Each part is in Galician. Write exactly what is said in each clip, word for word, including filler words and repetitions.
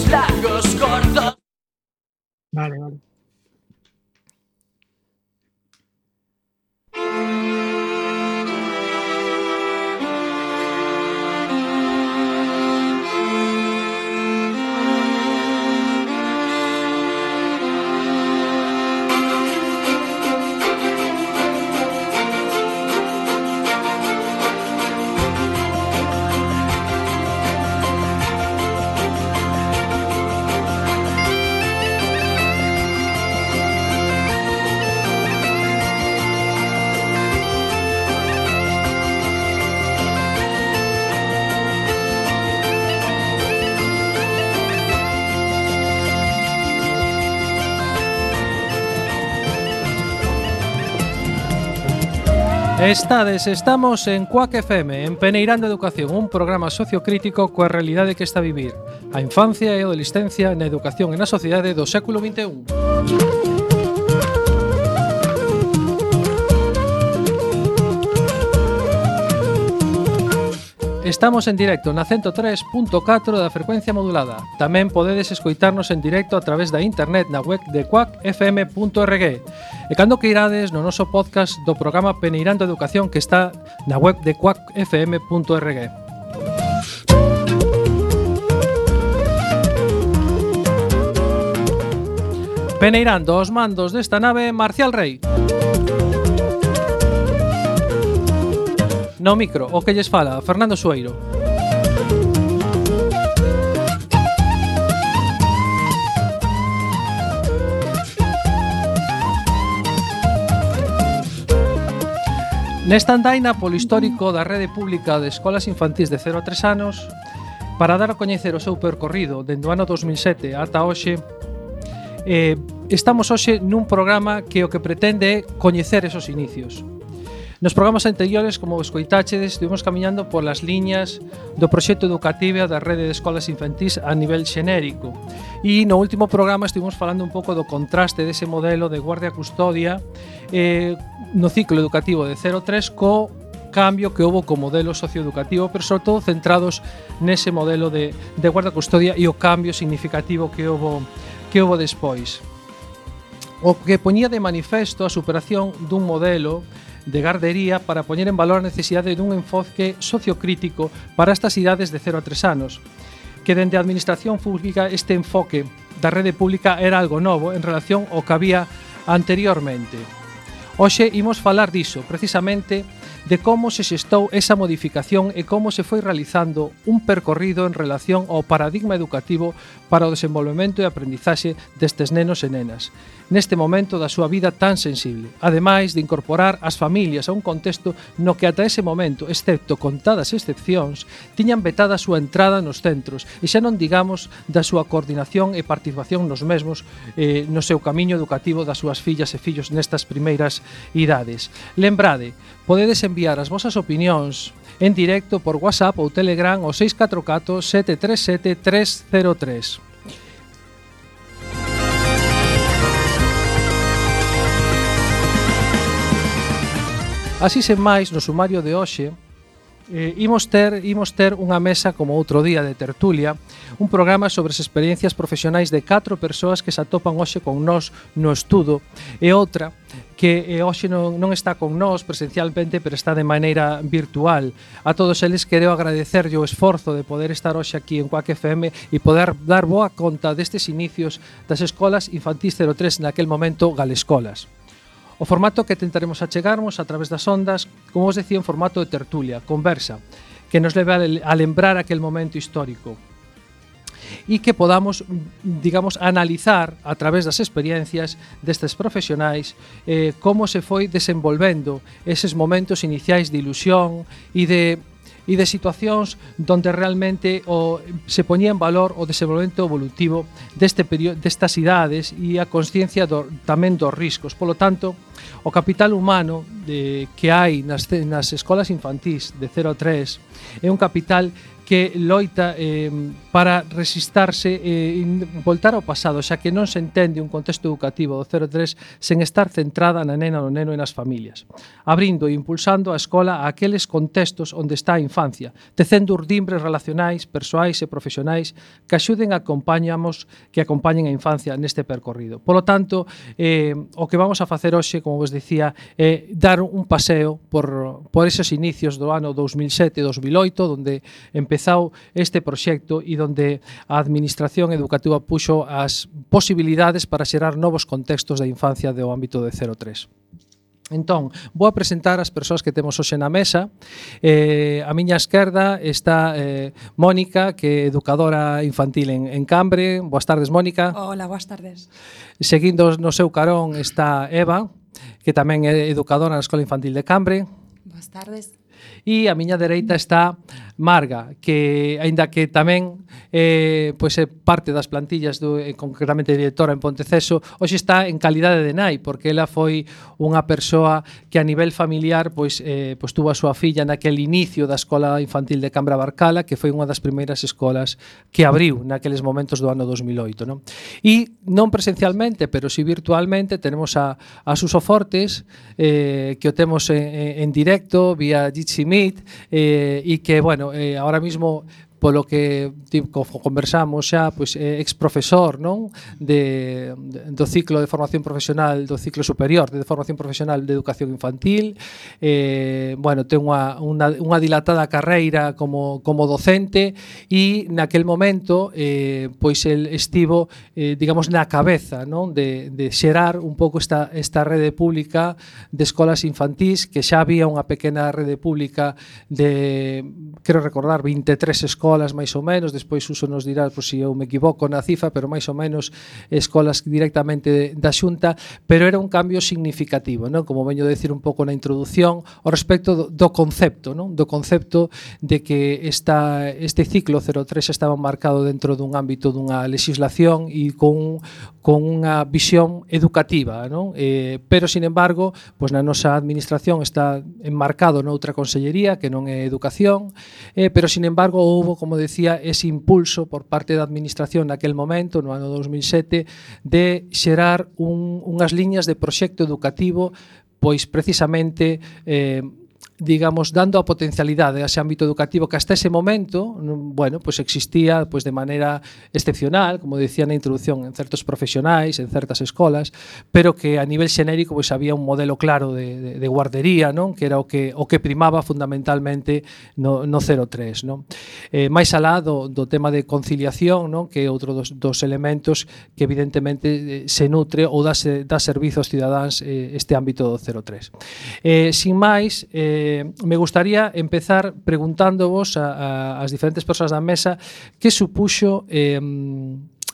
largos, cortos. Vale, vale. Estades, estamos en Cuac F M, en Peneirando Educación, un programa sociocrítico coa realidade que está a vivir a infancia e a adolescencia na educación e na sociedade do século vinte e un. Estamos en directo na ciento tres punto catro da frecuencia modulada. Tamén podedes escoitarnos en directo a través da internet na web de cuac f m punto org. E cando que irades no noso podcast do programa Peneirando Educación que está na web de cuac f m punto org. Peneirando os mandos desta nave, Marcial Rei. No micro, o que lles fala, Fernando Sueiro. Nesta andaina polo histórico da rede pública de escolas infantís de cero a tres anos, para dar a coñecer o seu percorrido dende o ano dos mil sete ata hoxe, eh, estamos hoxe nun programa que o que pretende é coñecer esos inicios. Nos programas anteriores, como escoitáchedes, estivemos camiñando polas liñas do proxecto educativo da rede de escolas infantís a nivel xenérico. E no último programa estivemos falando un pouco do contraste dese modelo de guardia-custodia eh, no ciclo educativo de cero a tres co cambio que houve co modelo socioeducativo, pero sobre todo centrados nese modelo de, de guarda-custodia e o cambio significativo que houve, que houve despois. O que poñía de manifesto a superación dun modelo de gardería para poñer en valor a necesidade dun enfoque sociocrítico para estas idades de cero a tres anos, que dende a administración pública este enfoque da rede pública era algo novo en relación ao que había anteriormente. Hoxe imos falar diso, precisamente de como se xestou esa modificación e como se foi realizando un percorrido en relación ao paradigma educativo para o desenvolvemento e aprendizaxe destes nenos e nenas, neste momento da súa vida tan sensible, ademais de incorporar as familias a un contexto no que ata ese momento, excepto contadas excepcións, tiñan vetada a súa entrada nos centros e xa non digamos da súa coordinación e participación nos mesmos eh, no seu camiño educativo das súas fillas e fillos nestas primeiras idades. Lembrade, podedes enviar as vosas opinións en directo por WhatsApp ou Telegram ao seis catro catro sete tres sete tres cero tres. Así sen máis, no sumario de hoxe, eh, imos ter, imos ter unha mesa como outro día de tertulia, un programa sobre as experiencias profesionais de catro persoas que se atopan hoxe con nós no estudo, e outra que eh, hoxe non, non está con nós presencialmente, pero está de maneira virtual. A todos eles quero agradecerlle o esforzo de poder estar hoxe aquí en Cuac F M e poder dar boa conta destes inicios das escolas infantís cero tres naquel momento Galescolas. O formato que tentaremos achegarmos a través das ondas, como vos decía, en formato de tertulia, conversa, que nos leve a lembrar aquel momento histórico e que podamos, digamos, analizar a través das experiencias destes profesionais eh, como se foi desenvolvendo eses momentos iniciais de ilusión e de e de situacións donde realmente o, se poñía en valor o desenvolvemento evolutivo deste período, destas idades e a consciencia do, tamén dos riscos. Polo tanto, o capital humano de, que hai nas, nas escolas infantís de cero a tres é un capital que loita eh, para resistarse e eh, voltar ao pasado, xa que non se entende un contexto educativo do cero tres sen estar centrada na nena, no neno e nas familias, abrindo e impulsando a escola a aqueles contextos onde está a infancia, tecendo urdimbres relacionais, persoais e profesionais que axuden a acompañamos, que acompañen a infancia neste percorrido. Polo tanto, eh, o que vamos a facer hoxe, como vos dicía, é dar un paseo por, por esos inicios do ano dous mil sete e dous mil oito, onde empezou este proxecto e onde a Administración Educativa puxo as posibilidades para xerar novos contextos da infancia do ámbito de cero tres. Entón, vou a presentar as persoas que temos hoxe na mesa. Eh, a miña esquerda está eh, Mónica, que é educadora infantil en, en Cambre. Boas tardes, Mónica. Hola, boas tardes. Seguindo no seu carón está Eva, que tamén é educadora na Escola Infantil de Cambre. Boas tardes. E a miña dereita está Marga, que aínda que tamén eh, pois é parte das plantillas do, eh, concretamente directora en Ponteceso, hoxe está en calidade de nai, porque ela foi unha persoa que a nivel familiar pois, eh, pois tuvo a súa filla naquele inicio da Escola Infantil de Cambra Barcala, que foi unha das primeiras escolas que abriu naqueles momentos do ano dos mil oito, non? E non presencialmente, pero si virtualmente, tenemos a, a Suso Fortes, eh, que o temos en, en directo vía Jitsi Meet, eh, e que, bueno, eh, ahora mismo polo que tipo, conversamos xa, pois é ex profesor, non, de, de do ciclo de formación profesional, do ciclo superior de formación profesional de educación infantil. Eh, bueno, ten unha, unha, unha dilatada carreira como, como docente e naquel momento eh, pois el estivo eh, digamos na cabeza, non, de, de xerar un pouco esta, esta rede pública de escolas infantís, que xa había unha pequena rede pública de, quero recordar, vinte e tres escolas escolas máis ou menos, despois Suso nos dirá por si eu me equivoco na cifra, pero máis ou menos escolas directamente da Xunta, pero era un cambio significativo, non? Como veño a decir un pouco na introdución, ao respecto do, do concepto, non? Do concepto de que esta, este ciclo cero tres estaba marcado dentro dun ámbito dunha legislación e con, con unha visión educativa, non? Eh, pero, sin embargo, pois na nosa administración está enmarcado noutra consellería que non é educación, eh, pero, sin embargo, houve, como decía, ese impulso por parte da administración naquel momento, no ano dos mil sete, de xerar un, unhas liñas de proxecto educativo, pois precisamente eh, digamos, dando a potencialidade a ese ámbito educativo que hasta ese momento, bueno, pues existía pues de maneira excepcional, como decía na introducción, en certos profesionais, en certas escolas, pero que a nivel xenérico pues había un modelo claro de, de, de guardería, non? Que era o que o que primaba fundamentalmente no, no cero tres, non? Eh, máis alá do, do tema de conciliación, non? Que é outro dos, dos elementos que evidentemente se nutre ou dá, dá servizo aos cidadáns eh, este ámbito do cero tres. Eh, sin máis, eh, me gustaría empezar preguntándovos a, a, as diferentes persoas da mesa que supuxo eh,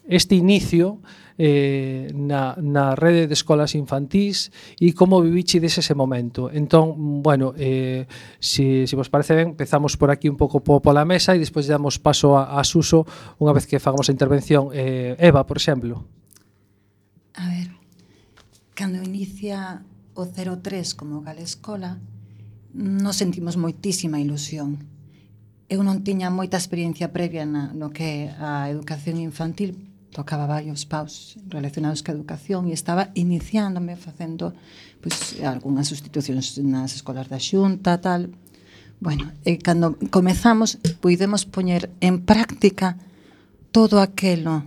este inicio eh, na, na rede de escolas infantís e como vivichides ese momento. Entón, bueno, eh, si, si vos parece ben, empezamos por aquí un pouco po, pola mesa e despois damos paso a, a Suso unha vez que fagamos a intervención. Eh, Eva, por exemplo. A ver, cando inicia o cero tres como Galescola, nos sentimos moitísima ilusión. Eu non tiña moita experiencia previa na, no que a educación infantil, tocaba varios paus relacionados ca educación e estaba iniciándome facendo pois, algunhas sustitucións nas escolas da Xunta, tal. Bueno, e cando comezamos, puidemos poñer en práctica todo aquelo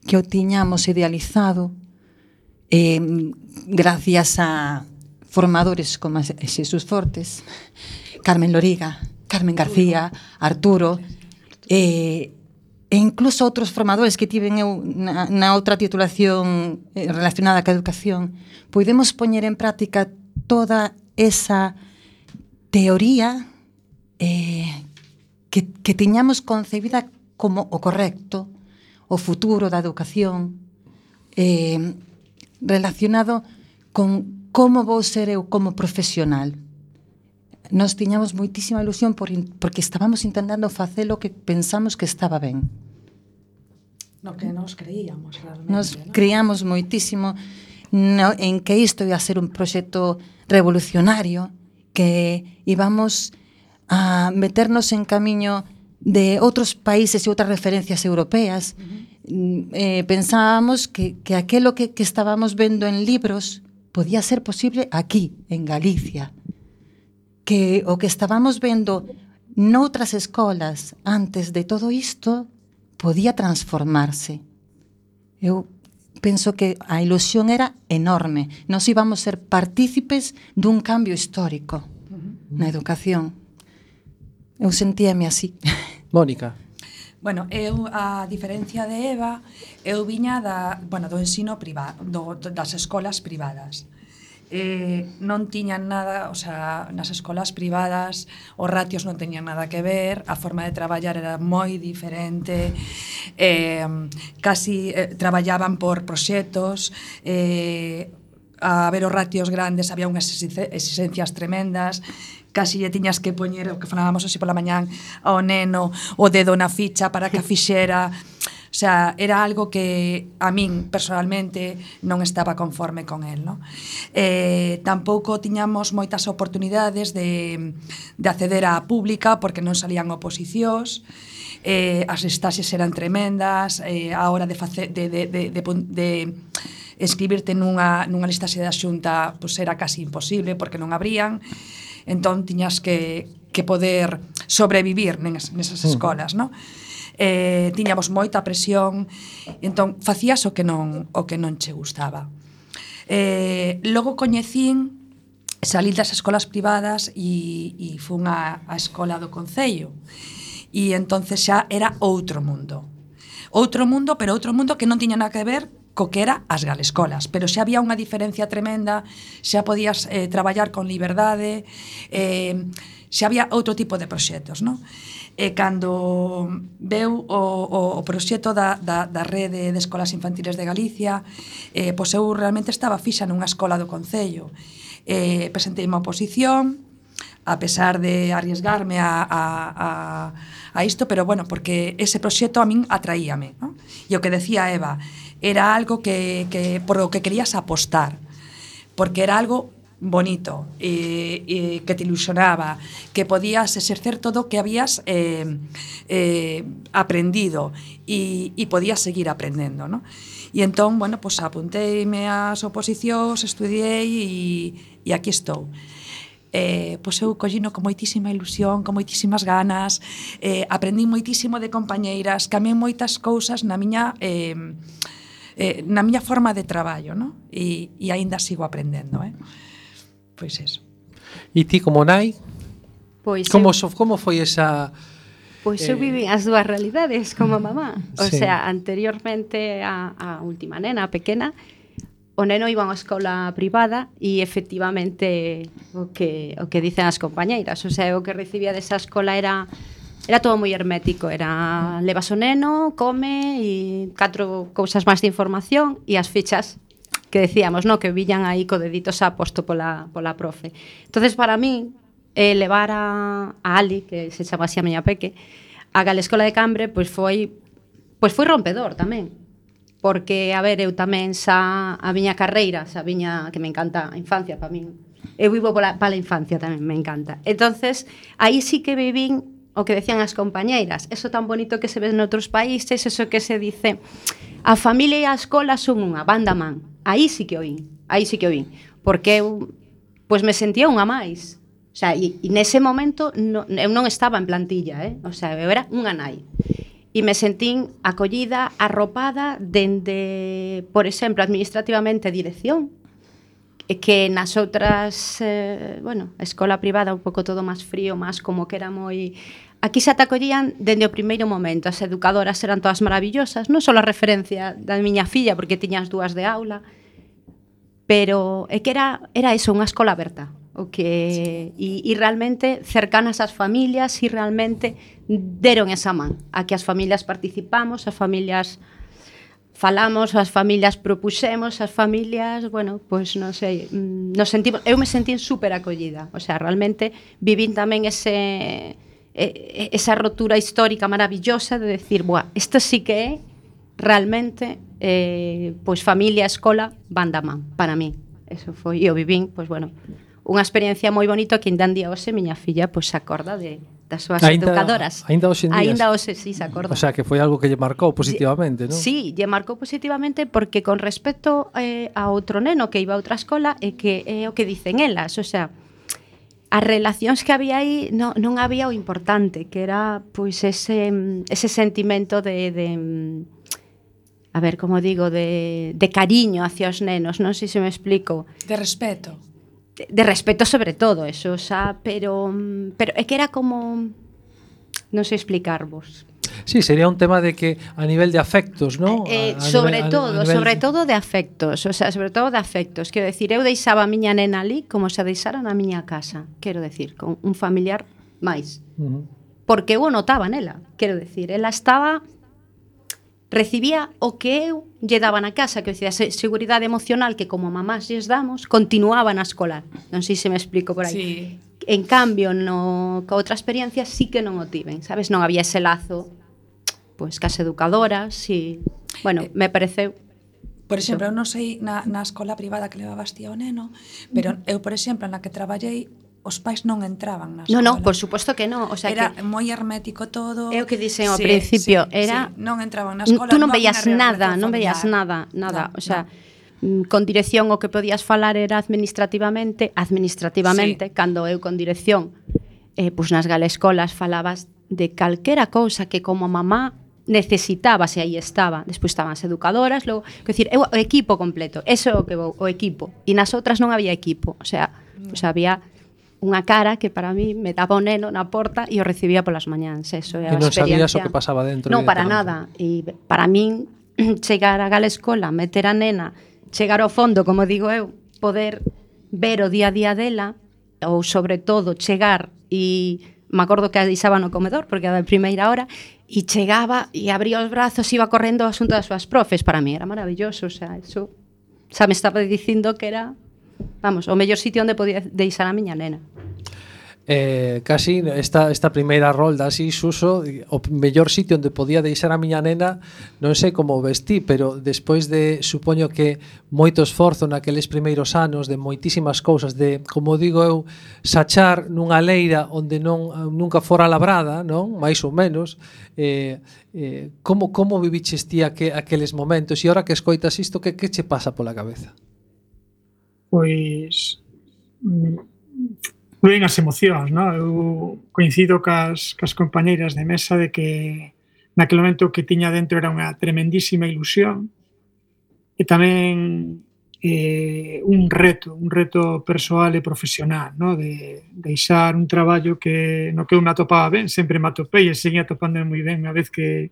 que o tiñamos idealizado eh, gracias a formadores como Xesús Fortes, Carmen Loriga, Carmen García, Arturo, e, e incluso outros formadores que tiven eu na, na outra titulación relacionada ca educación, podemos poñer en práctica toda esa teoría eh, que, que tiñamos concebida como o correcto, o futuro da educación, eh, relacionado con como vou ser eu como profesional. Nos tiñamos moitísima ilusión por, porque estábamos intentando facer o que pensamos que estaba ben. No que nos creíamos realmente. Nos ¿no? creíamos moitísimo no, en que isto ia ser un proxecto revolucionario, que íbamos a meternos en camiño de outros países e outras referencias europeas, uh-huh. eh, pensábamos que, que aquelo que, que estábamos vendo en libros podía ser posible aquí, en Galicia. Que o que estábamos vendo noutras escolas antes de todo isto podía transformarse. Eu penso que a ilusión era enorme. Nos íbamos ser partícipes dun cambio histórico uh-huh. na educación. Eu sentíame así. Mónica. Bueno, eu, a diferencia de Eva, eu viña da, bueno, do ensino privado, do, das escolas privadas. Eh, non tiñan nada, o sea, nas escolas privadas os ratios non teñan nada que ver, a forma de traballar era moi diferente, eh, casi eh, traballaban por proxectos, eh, a ver os ratios grandes había unhas exigencias tremendas, casi lle tiñas que poñer, o que falábamos así pola mañán, ao neno o dedo na ficha para que a fixera. O sea, era algo que a min personalmente non estaba conforme con el, ¿no? Eh, tampouco tiñamos moitas oportunidades de, de acceder á pública porque non salían oposicións, eh, as listaxes eran tremendas, eh, a hora de, face, de, de, de, de, de escribirte nunha, nunha listaxe da Xunta pues era casi imposible porque non abrían. Entón tiñas que, que poder sobrevivir nes, nesas escolas, non? Eh, tiñamos moita presión, entón facías o que non o que non che gustaba. Eh, logo coñecín, salí das escolas privadas e, e fun a, a escola do Concello. E entonces xa era outro mundo. Outro mundo, pero outro mundo que non tiña nada que ver co que era as galescolas, pero xa había unha diferencia tremenda, xa podías eh, traballar con liberdade, eh, xa había outro tipo de proxectos, non? E cando veu o, o, o proxecto da, da, da rede de escolas infantiles de Galicia, eh, pois eu realmente estaba fixa nunha escola do Concello. Eh, presentei unha oposición, a pesar de arriesgarme a, a, a, a isto, pero bueno, porque ese proxecto a min atraíame, non? E o que decía Eva, era algo que, que por lo que querías apostar, porque era algo bonito, eh, eh, que te ilusionaba, que podías exercer todo o que habías eh, eh, aprendido e, e podías seguir aprendendo, ¿no? E entón, bueno, pues apunteime ás oposicións, estudiei e, e aquí estou. Eh, pois eu collino con moitísima ilusión, con moitísimas ganas, eh, aprendí moitísimo de compañeiras, cambiei moitas cousas na miña... Eh, Eh, na miña forma de traballo, ¿no? E, e aínda sigo aprendendo, eh? Pois eso. E ti como nai? Pois como, eu, so, como foi esa... Pois eh... eu viví as dúas realidades como mamá. O sí. sea, anteriormente a, a última nena, a pequena, o neno iba a unha escola privada e efectivamente o que, o que dicen as compañeiras. O sea, o que recibía desa escola era... Era todo moi hermético, era levas o neno, come e catro cousas máis de información e as fichas que decíamos, no, que viñan aí co dedito xa posto pola, pola profe. Entonces, para mí, eh, levar a, a Ali, que se chama así a miña peque, a Galescola de Cambre, pois foi pois foi rompedor tamén. Porque, a ver, eu tamén xa a miña carreira, xa a miña, que me encanta a infancia para min. Eu vivo pola, para a infancia tamén, me encanta. Entonces, aí sí que vivín o que decían as compañeiras, eso tan bonito que se ve noutros países, eso que se dice, a familia e a escola son unha, banda man. Aí sí que oín, aí sí que oín, porque eu pois me sentía unha máis. O sea, e, e nese momento no, eu non estaba en plantilla, eh? O sea, eu era unha nai. E me sentín acollida, arropada dende, por exemplo, administrativamente dirección, que nas outras, eh, bueno, a escola privada un pouco todo máis frío, máis como que era moi... Aquí xa te acollían dende o primeiro momento, as educadoras eran todas maravillosas, non só a referencia da miña filla, porque tiñas dúas de aula, pero é que era, era eso, unha escola aberta, o que sí. e, e realmente cercanas ás familias e realmente deron esa man, a que as familias participamos, as familias... falamos, as familias propuxemos, as familias, bueno, pois pues, non sei, nos sentimos, eu me sentín super acollida, o sea, realmente vivín tamén ese esa rotura histórica maravillosa de decir, buah, isto sí que é realmente eh, pois pues, familia, escola, van da man, para mí. Eso foi, e o vivín, pois pues, bueno, unha experiencia moi bonita que ainda en día hoxe miña filla pois se acorda de das súas Ainda- educadoras. ainda hoxe en día. Ainda hoxe sí se acorda. O sea, que foi algo que lle marcou positivamente, non? Sí, lle marcou positivamente porque con respecto eh, a outro neno que iba a outra escola é que é o que dicen elas, o sea, as relacións que había aí non, non había o importante, que era pois ese ese sentimento de, de a ver, como digo, de, de cariño hacia os nenos, non sei se me explico. De respeto. De, de respeto sobre todo, eso, xa, pero pero é que era como non sei explicarvos. Sí, sería un tema de que a nivel de afectos, ¿no? Eh, A- a sobre nivel- a- todo, a nivel- sobre todo de afectos, o sea, sobre todo de afectos. Quero decir, eu deixaba a miña nena ali como se a deixara na miña casa, quero decir, con un familiar máis. Uh-huh. Porque eu o notaba nela, quero decir, ela estaba recibía o que eu lle daba na casa, que decía, a seguridade emocional que como mamás lles damos, continuaba na escolar. Non sei se me explico por aí. Sí. En cambio, no, ca outra experiencia sí que non o tiven, sabes? Non había ese lazo pois cas educadoras e, bueno, me pareceu. Por exemplo, eu non sei na, na escola privada que levabas ti ao neno, pero eu, por exemplo, na que traballei, os pais non entraban na No, escola. no, por suposto que no, o sea era que moi hermético todo. é o que dixen ao Sí, principio, sí, era sí, non entraban na escola. tú non había veías unha nada, relación non veías familiar. nada, nada, No, o sea, no. mm, con dirección o que podías falar era administrativamente, administrativamente, Sí. cando eu con dirección, eh, pois nas galescolas falabas de calquera cousa que como mamá necesitabas e aí estaba. Despois estaban as educadoras, logo, quer decir, eu, o equipo completo, eso é o que vou, o equipo. E nas outras non había equipo, o sea, pois había unha cara que para mí me daba o neno na porta e o recibía polas mañáns, eso é a E non experiencia. sabías o que pasaba dentro. Non, para directamente. nada. E para min, chegar a galescola, meter a nena, chegar ao fondo, como digo eu, poder ver o día a día dela, ou sobre todo chegar e me acordo que a deixaba no comedor, porque era a primeira hora, e chegaba e abría os brazos, iba correndo ao asunto das súas profes. Para mí era maravilloso, o sea, eso xa me estaba dicindo que era, vamos, o mellor sitio onde podía deixar a miña nena. Eh, casi esta, esta primeira rolda así, Suso, o mellor sitio onde podía deixar a miña nena, non sei como vestí, pero despois de, supoño que moito esforzo naqueles primeiros anos, de moitísimas cousas, de, como digo eu, sachar nunha leira onde non nunca fora labrada, non? Mais ou menos, eh, eh, como, como viviches ti aqu aqueles momentos, e ahora que escoitas isto, que, que che pasa pola cabeza? Pois mm, fluen as emocións, non? Eu coincido cas, cas compañeiras de mesa de que naquele momento o que tiña dentro era unha tremendísima ilusión e tamén eh, un reto, un reto persoal e profesional, non? De deixar un traballo que no que eu me atopaba ben, sempre me atopei e seguía atopando moi ben unha vez que,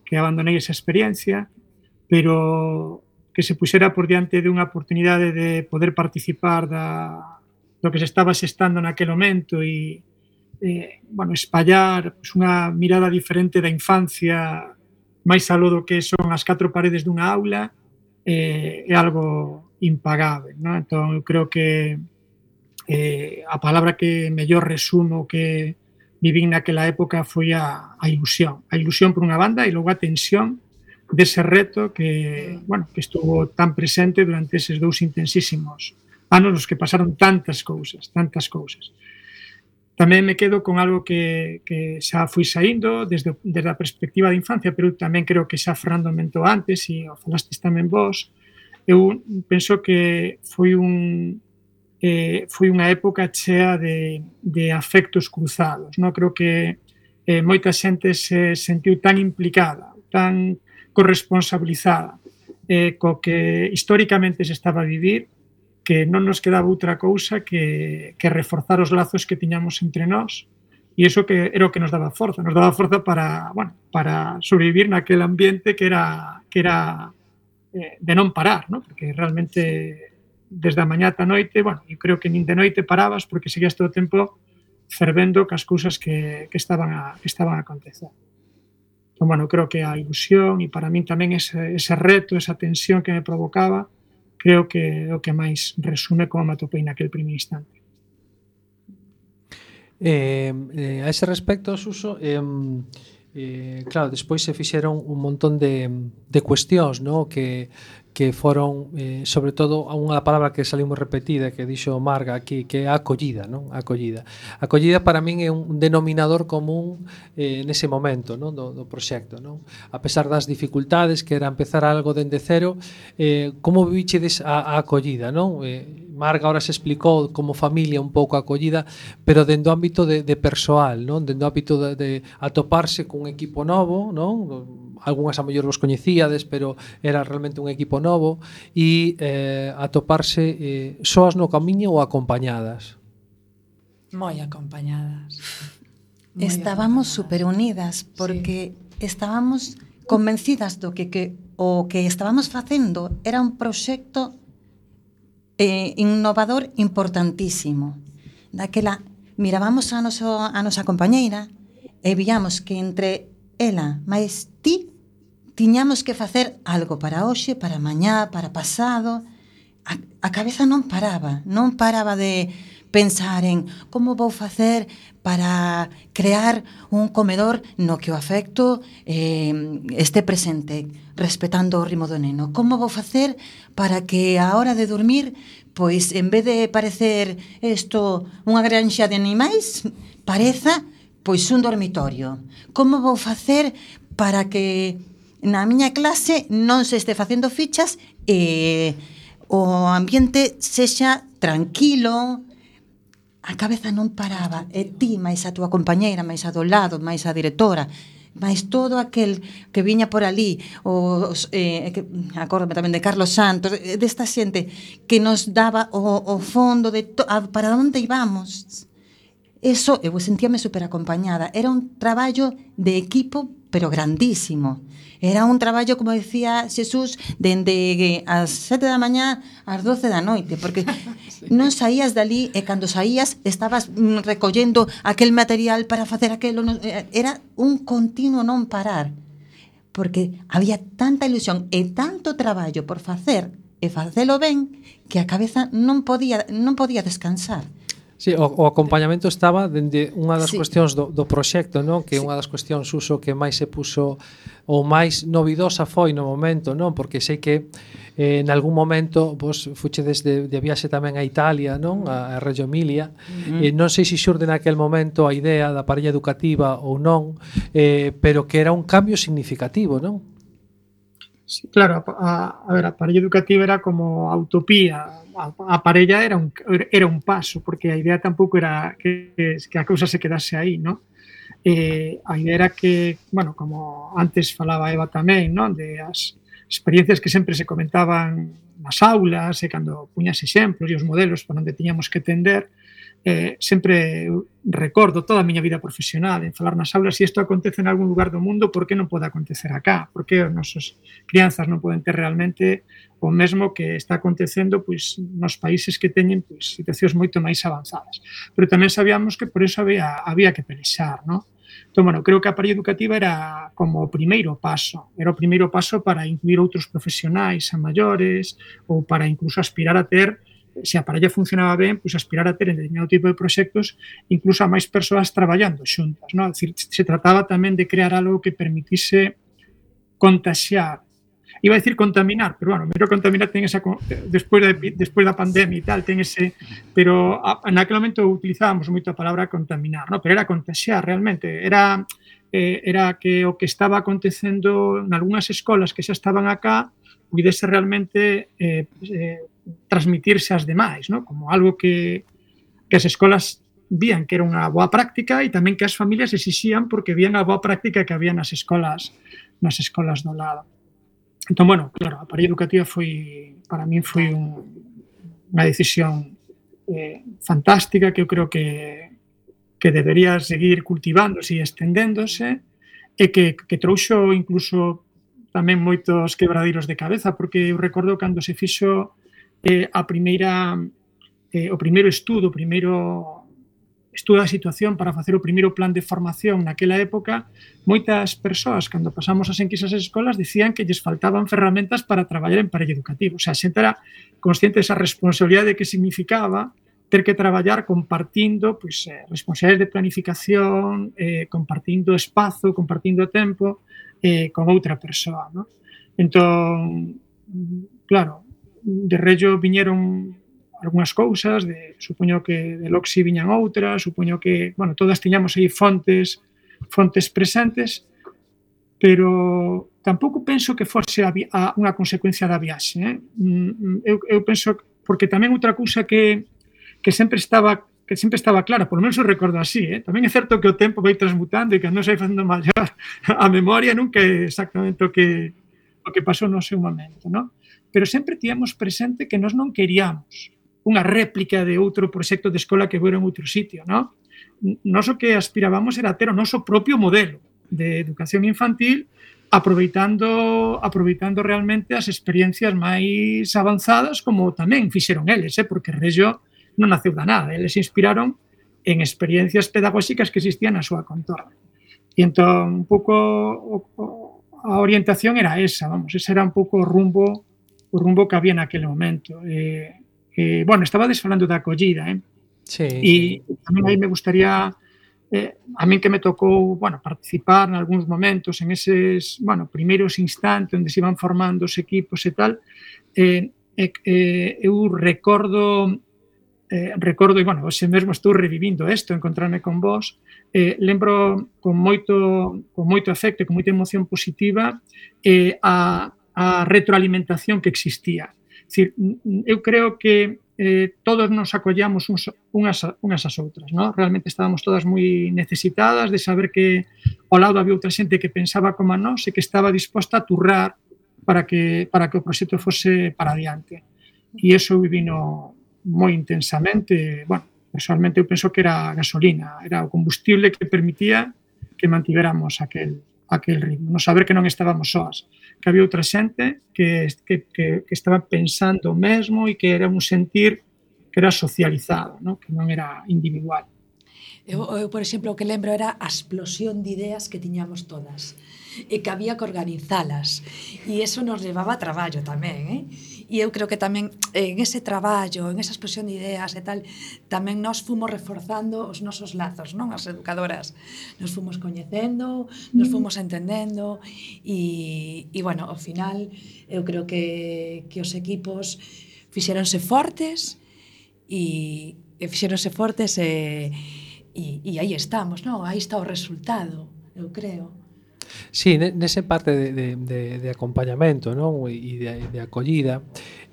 que abandonei esa experiencia, pero que se puxera por diante de unha oportunidade de poder participar da do que se estaba xestando naquele momento e, eh, bueno, espallar pues, unha mirada diferente da infancia máis aló do que son as catro paredes dunha aula eh, é algo impagable, ¿no? Entón, eu creo que eh, a palabra que mellor resumo que vivín naquela época foi a, a ilusión. A ilusión por unha banda e logo a tensión dese reto que, bueno, que estuvo tan presente durante eses dous intensísimos anos nos que pasaron tantas cousas, tantas cousas. Tamén me quedo con algo que, que xa fui saindo desde, desde a perspectiva de infancia, pero tamén creo que xa Fernando mentou antes e o falastes tamén vos. Eu penso que foi un eh, foi unha época chea de, de afectos cruzados. Non? Creo que eh, moita xente se sentiu tan implicada, tan corresponsabilizada eh, co que históricamente se estaba a vivir, que non nos quedaba outra cousa que, que reforzar os lazos que tiñamos entre nós, e iso que era o que nos daba forza, nos daba forza para, bueno, para sobrevivir naquele ambiente que era, que era eh, de non parar, ¿no? Porque realmente desde a mañá ata a noite, bueno, eu creo que nin de noite parabas porque seguías todo o tempo fervendo cas cousas que, que, estaban a, que estaban a acontecer. Entón, bueno, creo que a ilusión e para min tamén ese, ese reto, esa tensión que me provocaba, creo que é o que máis resume como me atopei naquele primeiro instante. Eh, eh, a ese respecto, Suso, eh, eh, claro, despois se fixeron un montón de, de cuestións, ¿no? que, que foron, eh, sobre todo, unha palabra que saliu moi repetida, que dixo Marga aquí, que é a acollida, non? A acollida. A acollida para min é un denominador común eh, nese momento, non? Do, do proxecto, non? A pesar das dificultades, que era empezar algo dende cero, eh, como vivichedes a, a acollida, non? Eh, Marga ahora se explicou como familia un pouco a acollida, pero dentro do ámbito de, de persoal, non? Dentro do ámbito de, de atoparse cun equipo novo, non? Algúnas a mellor vos coñecíades, pero era realmente un equipo novo, e eh, atoparse eh, soas no camiño ou acompañadas? Moi acompañadas. Moi Estábamos acompañadas. super unidas porque sí. Estábamos convencidas do que, que o que estábamos facendo era un proxecto eh, innovador importantísimo. Daquela mirábamos a, noso, a nosa compañeira e víamos que entre ela máis ti tiñamos que facer algo para hoxe, para mañá, para pasado. A, a cabeza non paraba, non paraba de pensar en como vou facer para crear un comedor no que o afecto eh, este presente, respetando o ritmo do neno. Como vou facer para que a hora de dormir, pois en vez de parecer isto unha granxa de animais, pareza pois un dormitorio. Como vou facer para que na miña clase non se este facendo fichas e o ambiente sexa tranquilo? A cabeza non paraba, e ti, máis a túa compañeira, máis a do lado, máis a directora, máis todo aquel que viña por ali, os, eh, que, acórdame tamén de Carlos Santos, desta xente que nos daba o, o fondo de to, a, para onde íbamos. Eso, eu sentíame super acompañada. Era un traballo de equipo, pero grandísimo. Era un traballo, como decía Xesús, dende as sete da mañá ás doce da noite, porque sí. Non saías dali e cando saías estabas recollendo aquel material para facer aquelo. Era un continuo non parar, porque había tanta ilusión e tanto traballo por facer e facelo ben que a cabeza non podía, non podía descansar. Sí, o, o acompañamento estaba dende unha das sí. cuestións do, do proxecto, non? Que é sí. unha das cuestións uso que máis se puso ou máis novidosa foi no momento, non? Porque sei que eh, en algún momento vos fuchedes de, de viaxe tamén a Italia, non? A, a Reggio Emilia. Mm. Eh, non sei se xurde naquel momento a idea da parella educativa ou non, eh, pero que era un cambio significativo, non? Sí, claro, a, a ver, a parella educativa era como a utopía. A, a parella era un, era un paso, porque a idea tampouco era que, que a cousa se quedase aí, ¿no? Eh, a idea era que, bueno, como antes falaba Eva tamén, ¿no? De as experiencias que sempre se comentaban nas aulas e cando puñas exemplos e os modelos por onde tiñamos que tender, eh, sempre recordo toda a miña vida profesional en falar nas aulas, se isto acontece en algún lugar do mundo, por que non pode acontecer acá? Por que os nosos crianzas non poden ter realmente o mesmo que está acontecendo pois nos países que teñen pois situacións moito máis avanzadas? Pero tamén sabíamos que por eso había, había que pelexar, non? Entón, bueno, creo que a parella educativa era como o primeiro paso, era o primeiro paso para incluir outros profesionais a maiores ou para incluso aspirar a ter, se a parella funcionaba ben, pois aspirar a ter en determinado tipo de proxectos incluso a máis persoas traballando xuntas, non? Decir, se trataba tamén de crear algo que permitise contaxiar. Iba a decir contaminar, pero bueno, mero contaminar ten esa despois da despois da pandemia e tal, ten ese, pero a, naquele momento utilizábamos moito a palabra contaminar, non? Pero era contaxiar realmente, era eh, era que o que estaba acontecendo en algunhas escolas que xa estaban acá pudese realmente eh, eh, transmitirse ás demais, ¿no? Como algo que, que as escolas vían que era unha boa práctica e tamén que as familias exixían porque vían a boa práctica que había nas escolas nas escolas do lado. Entón, bueno, claro, a parella educativa foi, para min foi un, unha decisión eh, fantástica que eu creo que, que debería seguir cultivándose e estendéndose e que, que trouxo incluso tamén moitos quebradeiros de cabeza, porque eu recordo cando se fixo eh, a primeira eh, o primeiro estudo, o primeiro estudo da situación para facer o primeiro plan de formación naquela época, moitas persoas, cando pasamos as enquisas ás escolas, dicían que lles faltaban ferramentas para traballar en parella educativa. O sea, a xente era consciente desa responsabilidade que significaba ter que traballar compartindo pois, eh, responsabilidades de planificación, eh, compartindo espazo, compartindo tempo eh, con outra persoa, ¿no? Entón, claro, de Rello viñeron algunhas cousas, de, supoño que de Loxi viñan outras, supoño que, bueno, todas tiñamos aí fontes fontes presentes, pero tampouco penso que fose a, a unha consecuencia da viaxe, eh? eu, eu penso, porque tamén outra cousa que, que sempre estaba que sempre estaba clara, por lo menos eu recordo así, eh? Tamén é certo que o tempo vai transmutando e que non se vai facendo maior a memoria nunca é exactamente o que o que pasou no seu momento, ¿no? Pero sempre tíamos presente que nós non queríamos unha réplica de outro proxecto de escola que fora en outro sitio, ¿no? Nós o que aspirábamos era ter o noso propio modelo de educación infantil, aproveitando aproveitando realmente as experiencias máis avanzadas como tamén fixeron eles, eh? Porque Rello non naceu da nada, eles se inspiraron en experiencias pedagóxicas que existían na súa contorna. E entón, un pouco a orientación era esa, vamos, ese era un pouco o rumbo o rumbo que había naquele momento. Eh, eh, bueno, estabades falando da acollida, eh? Sí, e sí. tamén aí me gustaría, eh, a min que me tocou, bueno, participar en algúns momentos en eses, bueno, primeiros instantes onde se iban formando os equipos e tal, eh, eh, eu recordo Eh, recordo, e, bueno, hoxe mesmo estou revivindo isto, encontrarme con vos, eh, lembro con moito, con moito afecto e con moita emoción positiva eh, a, a retroalimentación que existía. É dicir, eu creo que eh, todos nos acollamos uns, unhas, unhas as outras, ¿no? Realmente estábamos todas moi necesitadas de saber que ao lado había outra xente que pensaba como a nós e que estaba disposta a turrar para que, para que o proxecto fose para adiante. E iso eu viví no moi intensamente, bueno, personalmente eu penso que era a gasolina, era o combustible que permitía que mantiveramos aquel, aquel ritmo, non saber que non estábamos soas, que había outra xente que, que, que, que estaba pensando o mesmo e que era un sentir que era socializado, ¿no? Que non era individual. Eu, eu, por exemplo, o que lembro era a explosión de ideas que tiñamos todas e que había que organizalas, e eso nos levaba a traballo tamén, eh? E eu creo que tamén en ese traballo, en esa explosión de ideas e tal, tamén nos fomos reforzando os nosos lazos, non? As educadoras nos fomos coñecendo, nos fomos entendendo e, e bueno, ao final eu creo que, que os equipos fixéronse fortes e, e fixéronse fortes e, e, e aí estamos, non? Aí está o resultado, eu creo. Sí, nese parte de, de, de, de acompañamento, non? E de, de acollida,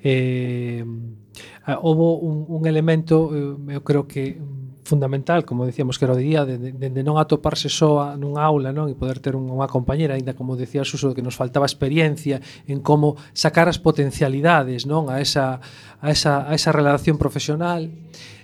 eh, houve un, un elemento, eu creo que fundamental, como decíamos que era o día, de, de, de non atoparse só nunha aula, non? E poder ter unha compañera, aínda como decía Suso, que nos faltaba experiencia en como sacar as potencialidades, non? A esa, a esa, a esa relación profesional,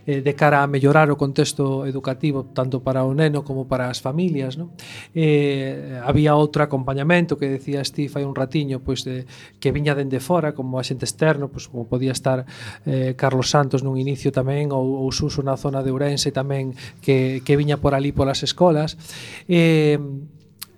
eh, de cara a mellorar o contexto educativo tanto para o neno como para as familias, non? Eh, había outro acompañamento que decía Steve hai un ratiño, pois de, que viña dende fora como axente externo, pois como podía estar eh, Carlos Santos nun inicio tamén, ou, ou Suso na zona de Ourense tamén, que, que viña por ali polas escolas. Eh,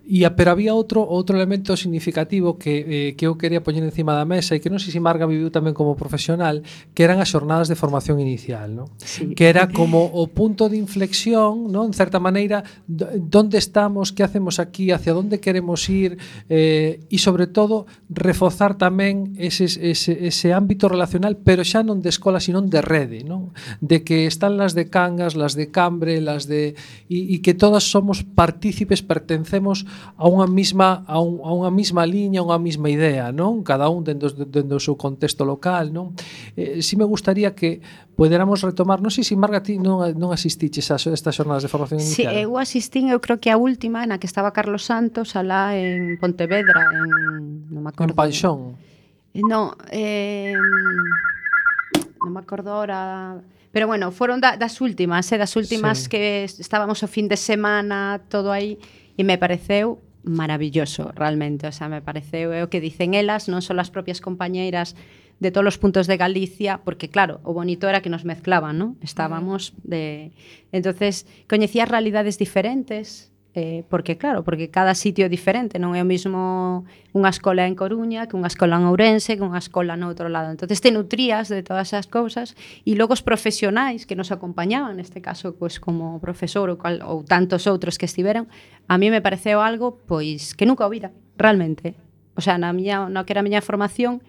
E, pero había outro outro elemento significativo que, eh, que eu quería poñer encima da mesa e que non sei se Marga viviu tamén como profesional, que eran as xornadas de formación inicial, ¿no? Sí. Que era como o punto de inflexión, ¿no? En certa maneira, donde estamos, que hacemos aquí, hacia onde queremos ir, eh, e sobre todo reforzar tamén ese, ese, ese ámbito relacional, pero xa non de escola, sino de rede, ¿no? De que están las de Cangas, las de Cambre, las de e, e que todas somos partícipes, pertencemos a unha mesma a, un, a unha mesma liña, a unha mesma idea, non? Cada un dentro, dentro do seu contexto local, non? Eh, si me gustaría que poderamos retomar, non sei se Marga ti non, non asistiches a estas xornadas de formación inicial. Si, sí, eu asistín, eu creo que a última na que estaba Carlos Santos alá en Pontevedra, en non me acordo. En Panxón. No, eh, non me acordo ahora. Pero bueno, foron da, das últimas, eh, das últimas sí. Que estábamos o fin de semana, todo aí. E me pareceu maravilloso, realmente, o sea, me pareceu é o que dicen elas, non só as propias compañeiras de todos os puntos de Galicia, porque claro, o bonito era que nos mezclaban, ¿no? Estábamos de... Entonces, coñecía realidades diferentes, eh, porque claro, porque cada sitio é diferente, non é o mismo unha escola en Coruña que unha escola en Ourense que unha escola no outro lado. Entonces te nutrías de todas esas cousas e logo os profesionais que nos acompañaban, neste caso pois como profesor ou, cal, ou tantos outros que estiveron, a mí me pareceu algo pois que nunca ouvira, realmente. O sea, na miña, no que era a miña formación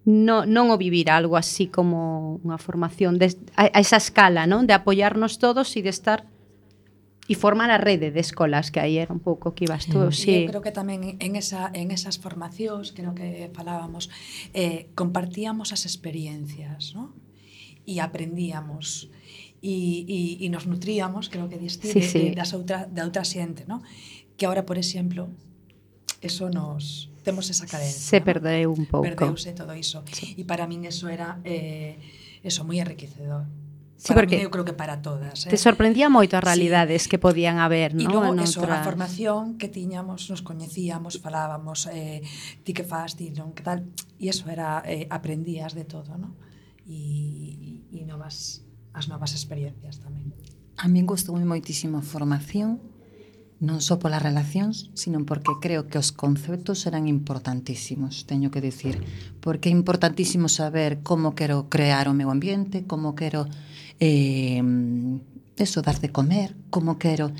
no, non o vivir algo así como unha formación de, a, a esa escala, non? De apoiarnos todos e de estar e formar a rede de escolas, que aí era un pouco que ibas tú. Mm. Sí. Eu creo que tamén en, esa, en esas formacións, creo que falábamos, eh, compartíamos as experiencias, ¿no? E aprendíamos e, e, e nos nutríamos, creo que diste, sí, de, sí. de, das outra, de outra xente, ¿no? Que ahora, por exemplo, eso nos... temos esa cadencia. Se perdeu un pouco. Perdeuse todo iso. Sí. E para min eso era eh, eso moi enriquecedor. Sí, para porque mí, eu creo que para todas. Te Eh? sorprendía moito as realidades sí. que podían haber, ¿no? E logo, logo, eso, outra... a formación que tiñamos, nos coñecíamos, falábamos, eh, ti que faz, ti non, que tal, e eso era, eh, aprendías de todo, ¿no? E, e novas, as novas experiencias tamén. A min gustou moitísimo a formación, non só polas relacións, sino porque creo que os conceptos eran importantísimos, teño que dicir, porque é importantísimo saber como quero crear o meu ambiente, como quero eh, eso, dar de comer, como quero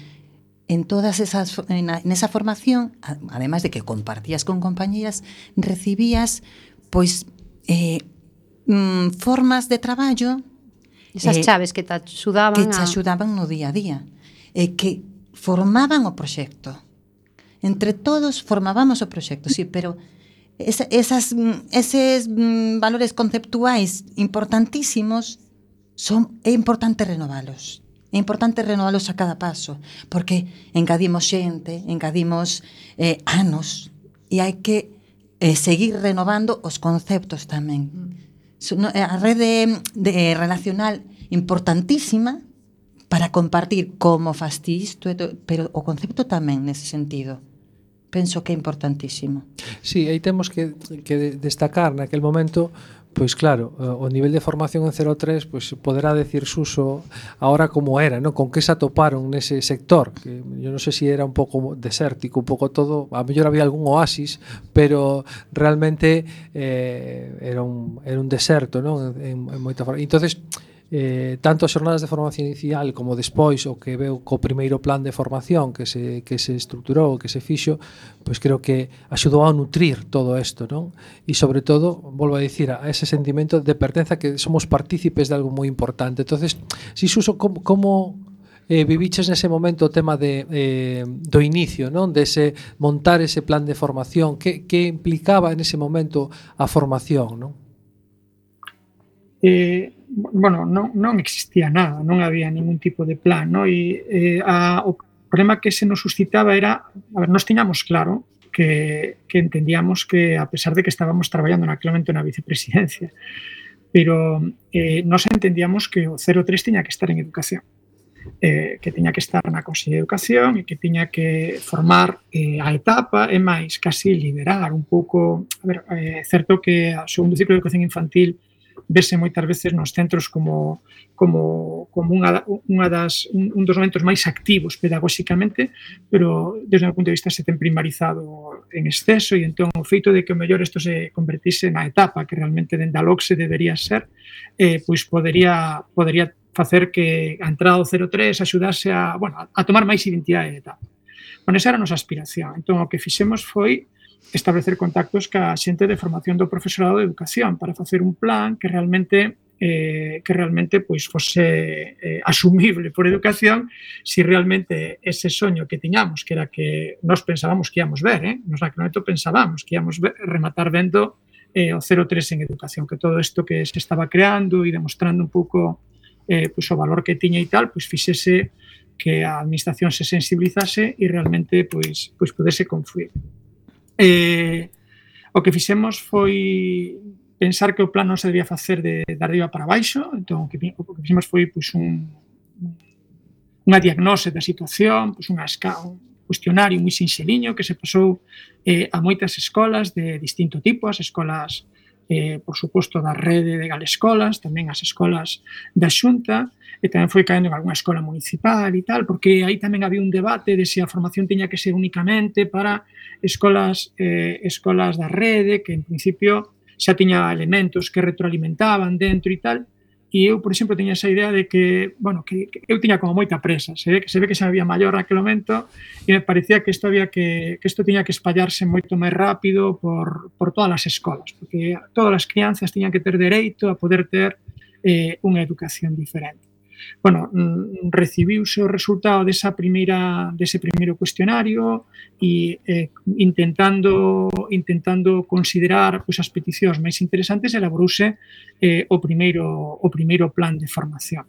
en todas esas, en, en esa formación, además de que compartías con compañeras, recibías pois eh, mm, formas de traballo, esas eh, chaves que te axudaban que te a... axudaban no día a día, eh, que formaban o proxecto. Entre todos formábamos o proxecto, sí, pero esa, esas, eses valores conceptuais importantísimos son, é importante renovalos. É importante renovalos a cada paso, porque engadimos xente, engadimos eh, anos, e hai que eh, seguir renovando os conceptos tamén. A rede de relacional importantísima para compartir como faz ti isto, pero o concepto tamén nese sentido. Penso que é importantísimo. Sí, aí temos que, que destacar naquel momento, pois claro, o nivel de formación en cero tres pois poderá decir Suso ahora como era, ¿no? Con que se atoparon nese sector, que yo non sei se si era un pouco desértico, un pouco todo, a mellor había algún oasis, pero realmente eh, era un era un deserto, ¿no? En, en moita forma. Entonces, Eh, tanto as xornadas de formación inicial como despois o que veu co primeiro plan de formación que se, que se estruturou, que se fixo, pois creo que axudou a nutrir todo isto, non? E sobre todo, volvo a dicir, a ese sentimento de pertenza, que somos partícipes de algo moi importante. Entonces, si Suso, como, como eh, viviches nese momento o tema de, eh, do inicio, non? De ese, montar ese plan de formación, que, que implicaba nese momento a formación, non? Eh, bueno, non, non existía nada, non había ningún tipo de plan, no? E eh, a, o problema que se nos suscitaba era, a ver, nos tiñamos claro que, que entendíamos que, a pesar de que estábamos traballando naquele momento na vicepresidencia, pero eh, nos entendíamos que o cero tres tiña que estar en educación, eh, que tiña que estar na Consellería de Educación e que tiña que formar eh, a etapa e máis casi liderar un pouco, a ver, é eh, certo que o segundo ciclo de educación infantil vese moitas veces nos centros como como como unha unha das un, un dos momentos máis activos pedagóxicamente, pero desde o meu punto de vista se ten primarizado en exceso, e entón o feito de que o mellor isto se convertise na etapa que realmente dende a LOCSE debería ser, eh, pois podería podería facer que a entrada do cero tres axudase a, bueno, a tomar máis identidade de etapa. Bueno, esa era a nosa aspiración. Entón o que fixemos foi establecer contactos ca xente de formación do profesorado de educación para facer un plan que realmente eh, que realmente pois fose eh, asumible por educación, si realmente ese soño que tiñamos, que era que nós pensábamos que íamos ver, eh? nos naquele momento pensábamos que íamos ver, rematar vendo eh, o cero tres en educación, que todo isto que se estaba creando e demostrando un pouco eh, pois o valor que tiña e tal, pois fixese que a administración se sensibilizase e realmente pois, pois pudese confluir. Eh, o que fixemos foi pensar que o plan non se debía facer de, de arriba para baixo, entón o que, o que fixemos foi pois, un, unha diagnose da situación, pois, unha esca, un cuestionario moi sinxeliño que se pasou eh, a moitas escolas de distinto tipo, as escolas, eh, por suposto, da rede de Galescolas, tamén as escolas da Xunta, e tamén foi caendo en algunha escola municipal e tal, porque aí tamén había un debate de se a formación tiña que ser únicamente para escolas eh, escolas da rede, que en principio xa tiña elementos que retroalimentaban dentro e tal, e eu, por exemplo, tiña esa idea de que, bueno, que, que eu tiña como moita presa, se ve que se ve que xa había maior naquele momento e me parecía que isto había que que isto tiña que espallarse moito máis rápido por por todas as escolas, porque todas as crianzas tiñan que ter dereito a poder ter eh, unha educación diferente. Bueno, recibiuse o resultado desa primeira dese primeiro cuestionario e eh, intentando intentando considerar pois as peticións máis interesantes elaborouse eh, o primeiro o primeiro plan de formación.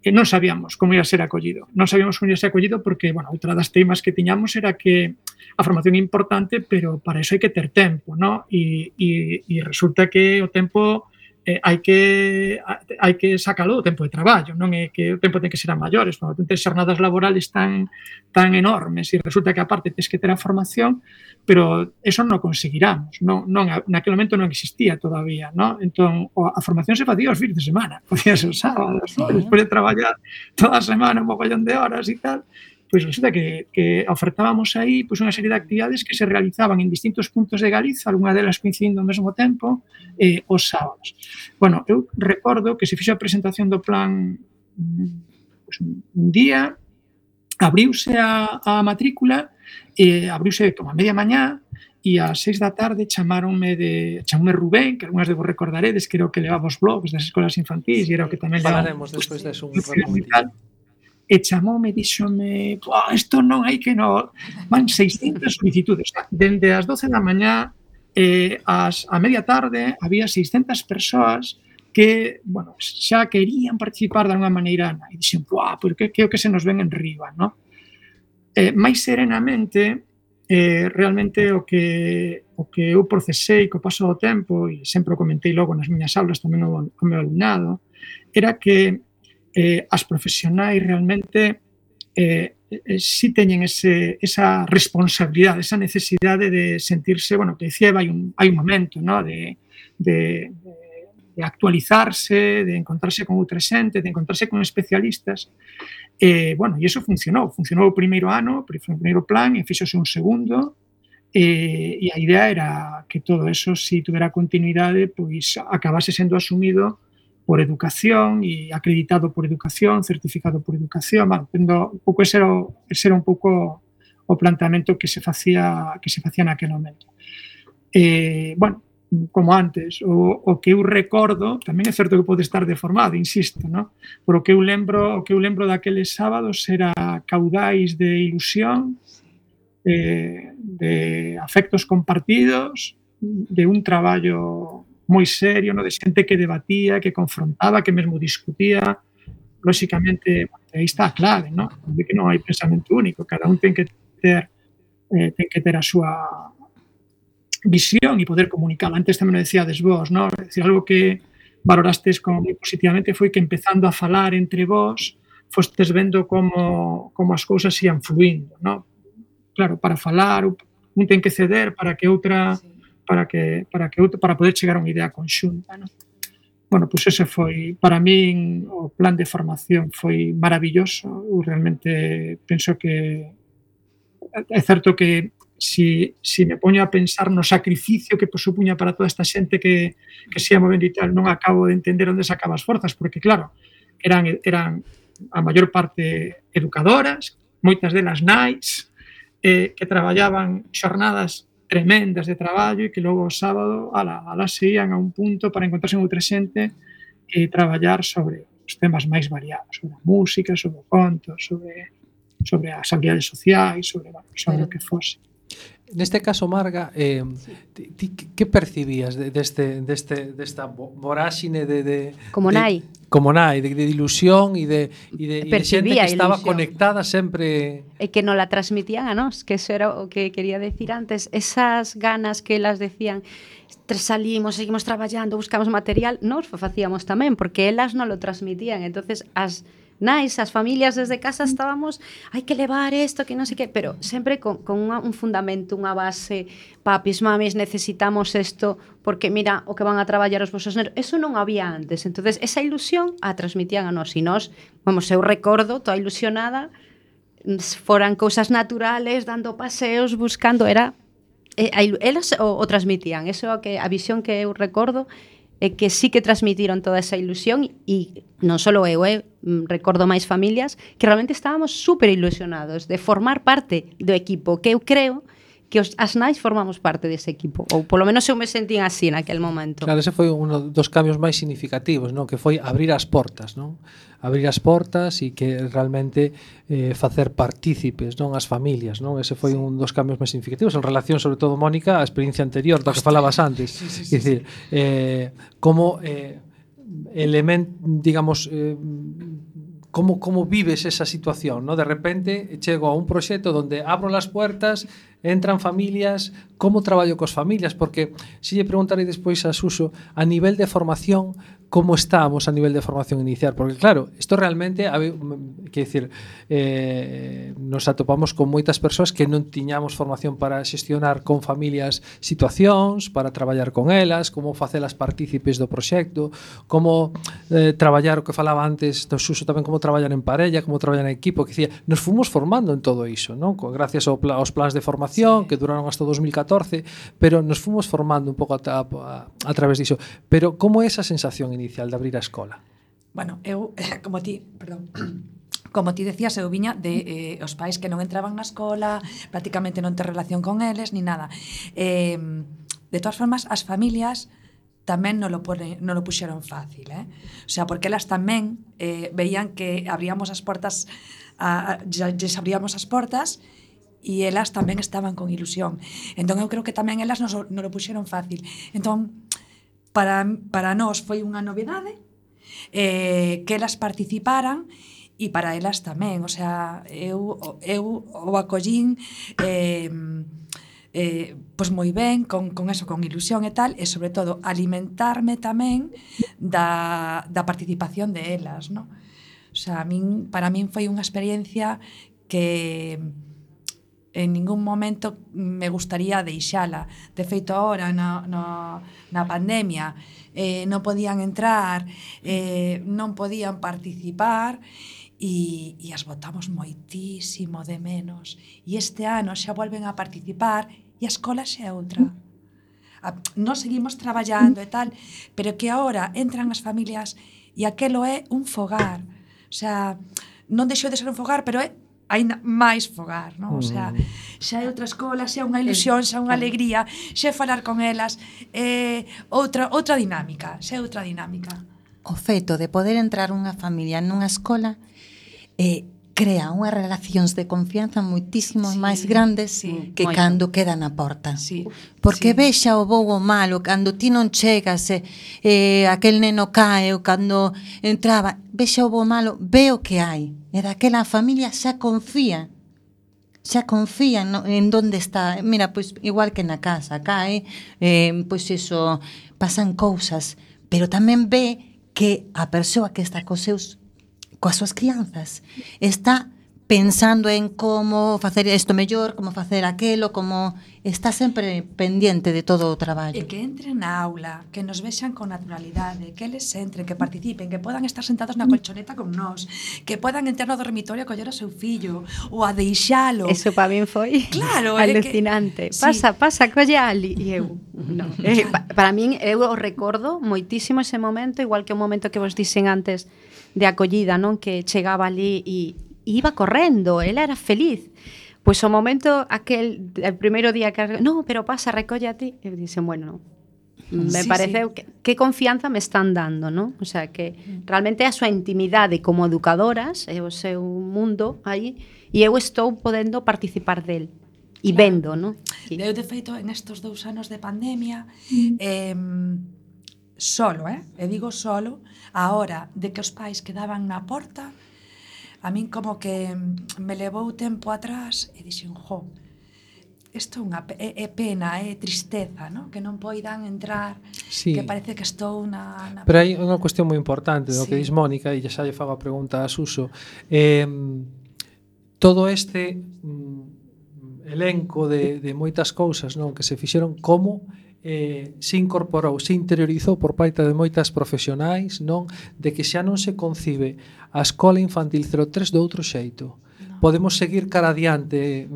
E non sabíamos como ia ser acollido. Non sabíamos como ia ser acollido porque, bueno, outra das temas que tiñamos era que a formación é importante, pero para iso hai que ter tempo, ¿no? E, e, e resulta que o tempo eh, hai que hai que sacalo do tempo de traballo, non é que o tempo ten que ser a maiores, non ten xornadas laborales tan tan enormes e resulta que aparte tens que ter a formación, pero eso non conseguiramos, non non naquele momento non existía todavía, non? Entón a formación se facía os fins de semana, podía ser os sábados, ¿no? Despois de traballar toda a semana un mogollón de horas e tal. Pois resulta que, que ofertábamos aí pois, unha serie de actividades que se realizaban en distintos puntos de Galiza, algunha delas coincidindo ao mesmo tempo, eh, os sábados. Bueno, eu recordo que se fixo a presentación do plan pois, un día, abriuse a, a matrícula, eh, abriuse como a media mañá, e ás seis da tarde chamaronme de chamoume Rubén, que algunhas de vos recordaredes, que era o que levaba os blogs das escolas infantís, e era o que tamén levaba... Falaremos despois deso un momentito. E chamoume, díxome, isto non hai que no... Van seiscentas solicitudes. Dende as doce da mañá eh, as, a media tarde había seiscentas persoas que, bueno, xa querían participar de alguma maneira e dixen, pois que, que o que se nos ven en riba, no? Eh, máis serenamente, eh, realmente o que, o que eu procesei co paso do tempo, e sempre o comentei logo nas miñas aulas tamén o, o meu alumnado, era que Eh, as profesionais realmente eh, eh, si teñen ese, esa responsabilidade, esa necesidade de sentirse, bueno, que decía, hai un, hai un momento, ¿no? de, de, de actualizarse, de encontrarse con outra xente, de encontrarse con especialistas. Eh, bueno, e iso funcionou. Funcionou o primeiro ano, o primeiro plan, e fixose un segundo, eh, e a idea era que todo eso, se si tuvera continuidade, pois acabase sendo asumido por educación e acreditado por educación, certificado por educación, bueno, tendo un pouco ese era, ese era un pouco o planteamento que se facía que se facía naquele momento. Eh, bueno, como antes, o, o que eu recordo, tamén é certo que pode estar deformado, insisto, ¿no? Por o que eu lembro, o que eu lembro daqueles sábados era caudais de ilusión, eh, de afectos compartidos, de un traballo moi serio, no, de xente que debatía, que confrontaba, que mesmo discutía. Lóxicamente, aí está a clave, no? De que non hai pensamento único, cada un ten que ter eh, ten que ter a súa visión e poder comunicar. Antes tamén o decíades vos, no? É dicir, algo que valorastes como moi positivamente foi que empezando a falar entre vos fostes vendo como, como as cousas ian fluindo, no? Claro, para falar, un ten que ceder para que outra... para que para que para poder chegar a unha idea conxunta, ¿no? Bueno, pois ese foi, para min, o plan de formación foi maravilloso. Eu realmente penso que é certo que si, si me poño a pensar no sacrificio que supuña para toda esta xente que, que se ia movendo e tal, non acabo de entender onde sacaba as forzas, porque claro, eran, eran a maior parte educadoras, moitas delas nais, eh, que traballaban xornadas tremendas de traballo e que logo o sábado ala, ala se ían a un punto para encontrarse con outra xente e traballar sobre os temas máis variados, sobre a música, sobre o conto, sobre, sobre as habilidades sociais, sobre, bueno, sobre o que fose. Neste caso, Marga, eh, ti, ti, que percibías de, deste, deste, desta voráxine de, de... Como nai. De, como nai, de, de ilusión e de, e de, e de xente que estaba ilusión. Conectada sempre... E que non la transmitían a nós, que eso era o que quería decir antes. Esas ganas que elas decían, salimos, seguimos traballando, buscamos material, nós facíamos tamén, porque elas non lo transmitían. Entonces, as... nais, as familias desde casa estábamos, hai que levar isto, que non sei que, pero sempre con, con unha, un fundamento, unha base, papis, mamis, necesitamos isto, porque mira o que van a traballar os vosos neros, eso non había antes, entonces esa ilusión a transmitían a nós, e nós, vamos, eu recordo, toda ilusionada, foran cousas naturales, dando paseos, buscando, era, eh, elas o, o transmitían, eso é que a visión que eu recordo, e que sí que transmitiron toda esa ilusión e non só eu, eh, recordo máis familias que realmente estábamos super ilusionados de formar parte do equipo, que eu creo que os, as nais formamos parte dese equipo, ou polo menos eu me sentín así naquel momento. Claro, ese foi un dos cambios máis significativos, non? Que foi abrir as portas, non? Abrir as portas e que realmente eh, facer partícipes, non, as familias, non? Ese foi un dos cambios máis significativos en relación, sobre todo, Mónica, á experiencia anterior da que falabas antes. Sí, sí, sí, é dicir, eh, como eh, element, digamos, eh, como como vives esa situación, ¿no? De repente chego a un proxecto donde abro las puertas, entran familias, como traballo cos familias, porque se lle preguntarei despois a Suso, a nivel de formación, como estamos a nivel de formación inicial, porque claro, isto realmente, que decir, eh, nos atopamos con moitas persoas que non tiñamos formación para xestionar con familias situacións, para traballar con elas, como facelas partícipes do proxecto, como eh, traballar o que falaba antes do Suso tamén, como traballar en parella, como traballar en equipo, que decía, nos fomos formando en todo iso, non? Gracias ao pla, aos plans de formación, sí, que duraron hasta dos mil catorce, pero nos fomos formando un pouco a, a, a través diso. Pero como é esa sensación inicial de abrir a escola? Bueno, eu, como ti, perdón, como ti decías, eu viña de eh, os pais que non entraban na escola, prácticamente non ter relación con eles, ni nada. Eh, de todas formas, as familias tamén non lo, pone, non lo puxeron fácil, eh? O sea, porque elas tamén eh, veían que abríamos as portas, a, a, ya, ya abríamos as portas, e elas tamén estaban con ilusión. Entón, eu creo que tamén elas non, non lo puxeron fácil. Entón, para, para nós foi unha novedade eh, que elas participaran e para elas tamén. O sea, eu, eu o acollín eh, eh, pois moi ben, con, con eso, con ilusión e tal, e sobre todo alimentarme tamén da, da participación de elas, ¿no? O sea, a min, para min foi unha experiencia que en ningún momento me gustaría deixala. De feito, ahora, na, na, na pandemia, eh, non podían entrar, eh, non podían participar, e, e as botamos moitísimo de menos. E este ano xa volven a participar, e a escola xa é outra. A, nós seguimos traballando e tal, pero que ahora entran as familias, e aquelo é un fogar. O sea, non deixou de ser un fogar, pero é aínda máis fogar, non? O sea, xa é outra escola, xa é unha ilusión, xa é unha alegría, xa é falar con elas, é outra, outra dinámica, xa é outra dinámica. O feito de poder entrar unha familia nunha escola eh, crea unhas relacións de confianza moitísimo sí, máis grandes sí, que moito. Cando queda na porta. Sí, porque sí. Vexa o bo o malo, cando ti non chegas, eh, eh, aquel neno cae, ou cando entraba, vexa o bo o malo, ve o que hai. E daquela familia xa confía, xa confía no, en donde está. Mira, pois igual que na casa, cae, eh, pois iso, pasan cousas, pero tamén ve que a persoa que está cos seus, coas súas crianzas, está pensando en como facer isto mellor, como facer aquelo, como está sempre pendiente de todo o traballo. E que entren na aula, que nos vexan con naturalidade, que eles entren, que participen, que podan estar sentados na colchoneta con nós, que podan entrar no dormitorio a coller o seu fillo, ou a deixalo. Eso para min foi claro, alucinante. Que... Pasa, sí. pasa, colle ali. E eu, no. eh, pa, para min, eu o recordo moitísimo ese momento, igual que o momento que vos dixen antes de acollida, non? Que chegaba ali e iba correndo, ela era feliz. Pois o momento, aquel, el primeiro día que... No, pero pasa, recolle a ti. E dixen, bueno, me sí, pareceu sí. que, que confianza me están dando, non? O sea, que realmente a súa intimidade como educadoras, é o seu mundo aí, e eu estou podendo participar del. E claro. Vendo, non? Eu, de feito, en estes dous anos de pandemia, mm. eh, solo, eh? E digo solo, a hora de que os pais quedaban na porta, a min como que me levou tempo atrás e dixen, jo, isto é unha é, é pena, é tristeza, ¿no? Que non poidan entrar, sí. Que parece que estou na... na... Pero hai unha cuestión moi importante, sí. Do que dis Mónica, e xa lle fago a pregunta a Suso. Eh, todo este mm, elenco de, de moitas cousas, non, que se fixeron, como eh, se incorporou, se interiorizou por parte de moitas profesionais, non, de que xa non se concibe a escola infantil cero tres de outro xeito. No. podemos seguir cara adiante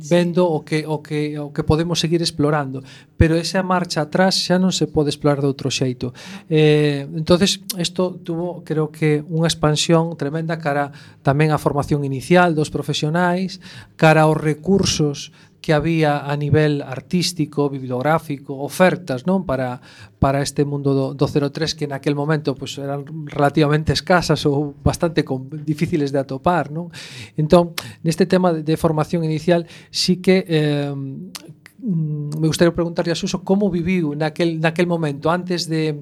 vendo o que o que o que podemos seguir explorando, pero esa marcha atrás xa non se pode explorar de outro xeito. Eh, entonces isto tuvo, creo que, unha expansión tremenda cara tamén á formación inicial dos profesionais, cara aos recursos que había a nivel artístico, bibliográfico, ofertas, non, para para este mundo do, do cero tres, que naquel momento pues, eran relativamente escasas ou bastante con, difíciles de atopar, non? Entón, neste tema de, de formación inicial, sí que eh, me gustaría preguntarle a Suso como viviu naquel, naquel momento, antes de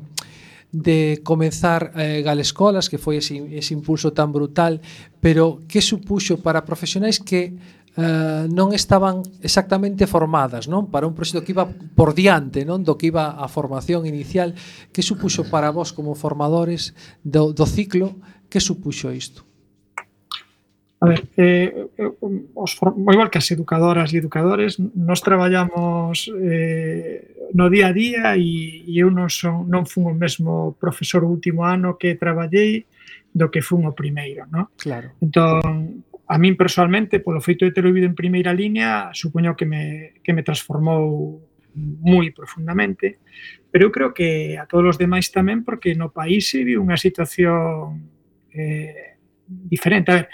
de comenzar eh, Galescolas, que foi ese, ese impulso tan brutal, pero que supuxo para profesionais que Uh, non estaban exactamente formadas, non, para un proxecto que iba por diante, non, do que iba a formación inicial. Que supuxo para vos como formadores do, do ciclo? Que supuxo isto? A ver, eh, os, igual que as educadoras e educadores, nós traballamos eh, no día a día e, e eu non, son, non fun o mesmo profesor o último ano que traballei do que fun o primeiro, non? Claro. Entón, a min personalmente, polo feito de ter vivido en primeira liña, supoño que me, que me transformou moi profundamente, pero eu creo que a todos os demais tamén, porque no país se vive unha situación eh, diferente. A ver,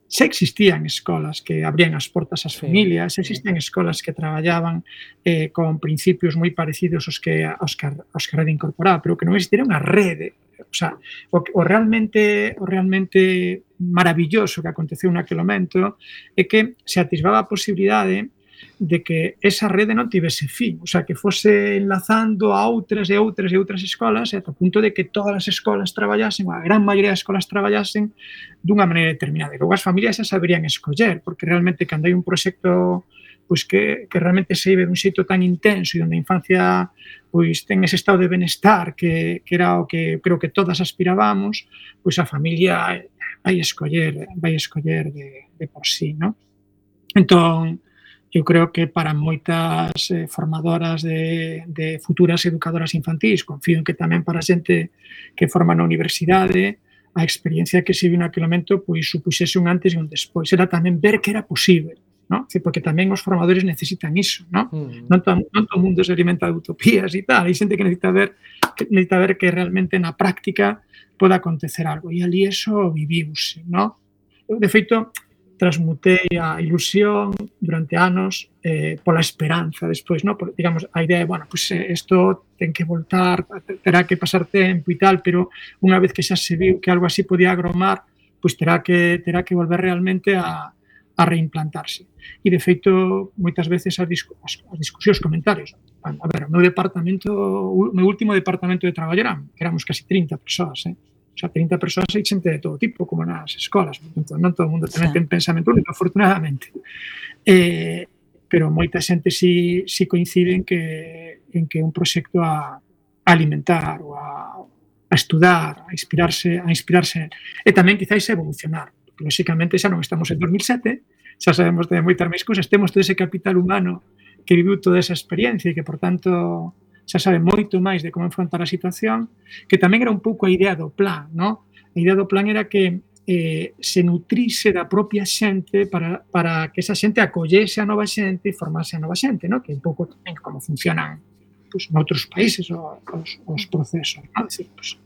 se existían escolas que abrían as portas ás familias, se existían escolas que traballaban eh, con principios moi parecidos aos que, aos que, aos que a rede incorporaba, pero que non existía unha rede. O sea, o, o realmente o realmente maravilloso que aconteceu naquele momento é que se atisbaba a posibilidade de que esa rede non tivese fin, o sea, que fose enlazando a outras e outras e outras escolas, ata o punto de que todas as escolas traballasen, ou a gran maioría das escolas traballasen dunha maneira determinada. E logo as familias xa saberían escoller, porque realmente cando hai un proxecto pois que, que realmente se vive dun xeito tan intenso e onde a infancia pois ten ese estado de benestar que, que era o que creo que todas aspirábamos, pois a familia vai escoller, vai escoller de, de por sí, non? Entón, eu creo que para moitas eh, formadoras de, de futuras educadoras infantís, confío en que tamén para a xente que forma na universidade, a experiencia que se viu naquele momento pois supuxese un antes e un despois. Era tamén ver que era posible, ¿no? Porque tamén os formadores necesitan iso, ¿no? Mm. Non, todo, non todo o mundo se alimenta de utopías e tal, hai xente que necesita ver que necesita ver que realmente na práctica pode acontecer algo, e ali eso viviuse, ¿no? Eu, de feito, transmutei a ilusión durante anos eh, pola esperanza despois, ¿no? Por, digamos, a idea de, bueno, pues isto eh, ten que voltar, terá que pasar tempo e tal, pero unha vez que xa se viu que algo así podía agromar, pues terá que, terá que volver realmente a a reimplantarse. E, de feito, moitas veces as, discu as, as discusións, comentarios. A ver, o meu departamento, o meu último departamento de traballo eran, éramos casi trinta persoas, eh? O sea, trinta persoas e xente de todo tipo, como nas escolas. Entón, non todo o mundo tamén ten pensamento único, afortunadamente. Eh, pero moita xente si, si coincide en que, en que un proxecto a, a alimentar ou a, a estudar, a inspirarse, a inspirarse e tamén quizáis evolucionar. Lóxicamente xa non estamos en dos mil sete, xa sabemos de moitas máis cousas, temos todo ese capital humano que viviu toda esa experiencia e que, por tanto, xa sabe moito máis de como enfrontar a situación, que tamén era un pouco a idea do plan, ¿no? A idea do plan era que eh, se nutrise da propia xente para, para que esa xente acollese a nova xente e formase a nova xente, ¿no? Que un pouco tamén como funcionan pues, noutros países os, os procesos, ¿no? Es decir, pues,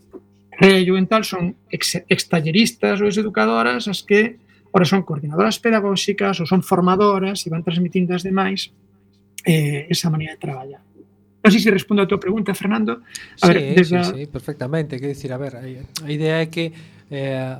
Rello en tal son ex, extalleristas ou educadoras as que ora son coordinadoras pedagóxicas ou son formadoras e van transmitindo as demais eh, esa maneira de traballar. Non sei se respondo a tua pregunta, Fernando. A sí, ver, desde... sí, sí, perfectamente. Quero dicir, a ver, a idea é que eh,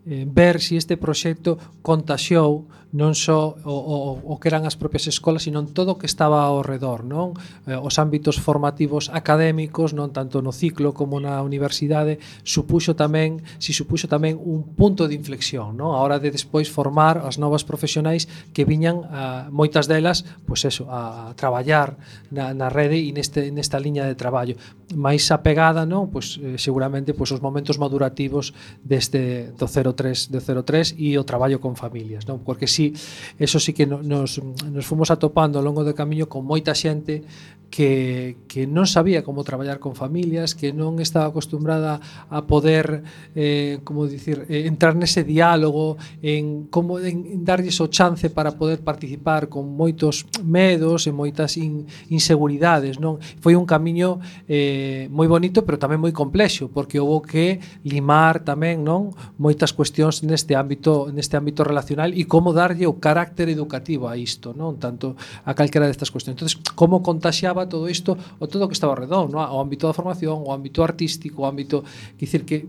eh, ver se si este proxecto contaxiou non só o, o, o que eran as propias escolas, sino todo o que estaba ao redor, non? Eh, os ámbitos formativos académicos, non tanto no ciclo como na universidade, supuxo tamén, si supuxo tamén un punto de inflexión, non? A hora de despois formar as novas profesionais que viñan, a, moitas delas, pois eso, a, a traballar na, na rede e neste, nesta liña de traballo. Mais apegada, non? Pois eh, seguramente pois os momentos madurativos deste do cero cero tres de cero tres e o traballo con familias, non? Porque si, eso sí que nos, nos fomos atopando ao longo do camiño con moita xente que, que non sabía como traballar con familias, que non estaba acostumbrada a poder eh, como dicir, eh, entrar nese diálogo, en como en, en darlles o chance para poder participar con moitos medos e moitas in, inseguridades, non? Foi un camiño eh, moi bonito, pero tamén moi complexo, porque houve que limar tamén, non, moitas cuestións neste ámbito, neste ámbito relacional e como darlle o carácter educativo a isto, non? Tanto a calquera destas cuestións. Entonces, como contaxiaba todo isto o todo o que estaba ao redor, non? O ámbito da formación, o ámbito artístico, o ámbito, quer dicir que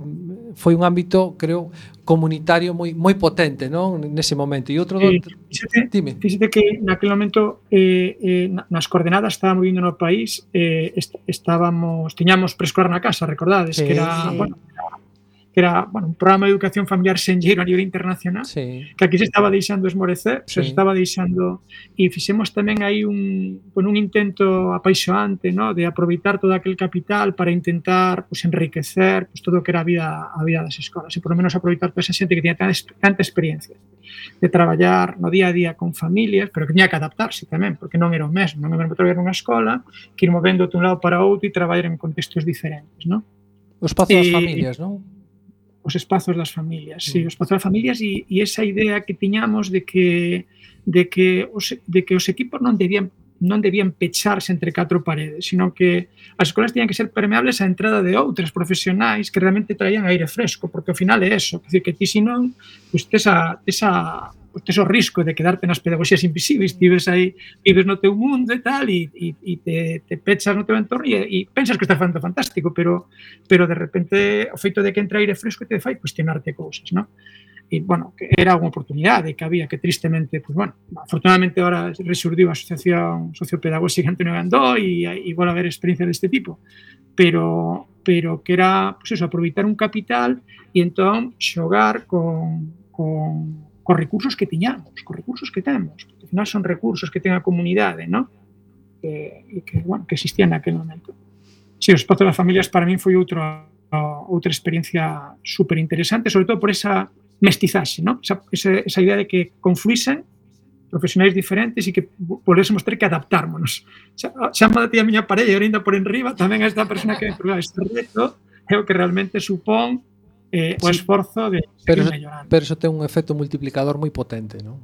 foi un ámbito, creo, comunitario moi moi potente, non? Nese momento. E outro do... eh, fíxate, dime. Fíxate que naquele momento eh, eh, nas coordenadas estábamos vindo no país, eh, est estábamos, tiñamos preescolar na casa, recordades, sí, que era, sí. bueno, que era, bueno, un programa de educación familiar senlleiro a nivel internacional, sí. que aquí se estaba deixando esmorecer, sí. se estaba deixando, e fixemos tamén aí un, con un intento apaixoante, ¿no?, de aproveitar todo aquel capital para intentar, pues, enriquecer, pues, todo o que era a vida, a vida das escolas, e por lo menos aproveitar toda esa xente que tiña tanta, tanta experiencia de traballar no día a día con familias, pero que tiña que adaptarse tamén, porque non era o mesmo, non era o mesmo traballar nunha escola que ir movendo de un lado para outro e traballar en contextos diferentes, ¿no? O espazo das familias, non? Os espazos das familias, sí, os espazos das familias e, e esa idea que tiñamos de que de que os de que os equipos non debían non debían pecharse entre catro paredes, sino que as escolas teñan que ser permeables á entrada de outras profesionais que realmente traían aire fresco, porque ao final é eso, quer dizer que ti senón, pois tes a esa pues tes o risco de quedarte nas pedagogías invisibles, ti ves aí, vives no teu mundo e tal, e, e, e te, te pechas no teu entorno e, e pensas que estás facendo fantástico, pero, pero de repente o feito de que entra aire fresco te fai cuestionarte cousas, non? E, bueno, que era unha oportunidade que había, que tristemente, pues, bueno, afortunadamente ahora resurdiu a Asociación Sociopedagóxica Antonio Gandó e igual a haber experiencias deste tipo, pero, pero que era, pues eso, aproveitar un capital e entón xogar con, con cos recursos que tiñamos, cos recursos que temos, porque ao final son recursos que ten a comunidade, ¿no? Que, e que, bueno, que existían naquele momento. Si, sí, o espazo das familias para min foi outra outra experiencia super interesante, sobre todo por esa mestizaxe, ¿no? Esa, esa, esa idea de que confluísen profesionais diferentes e que volvésemos ter que adaptármonos. Xa, xa me ti a miña parella, ainda por enriba, tamén esta persona que me este reto é o que realmente supón eh, o esforzo de pero, mellorar. Pero eso ten un efecto multiplicador moi potente, non?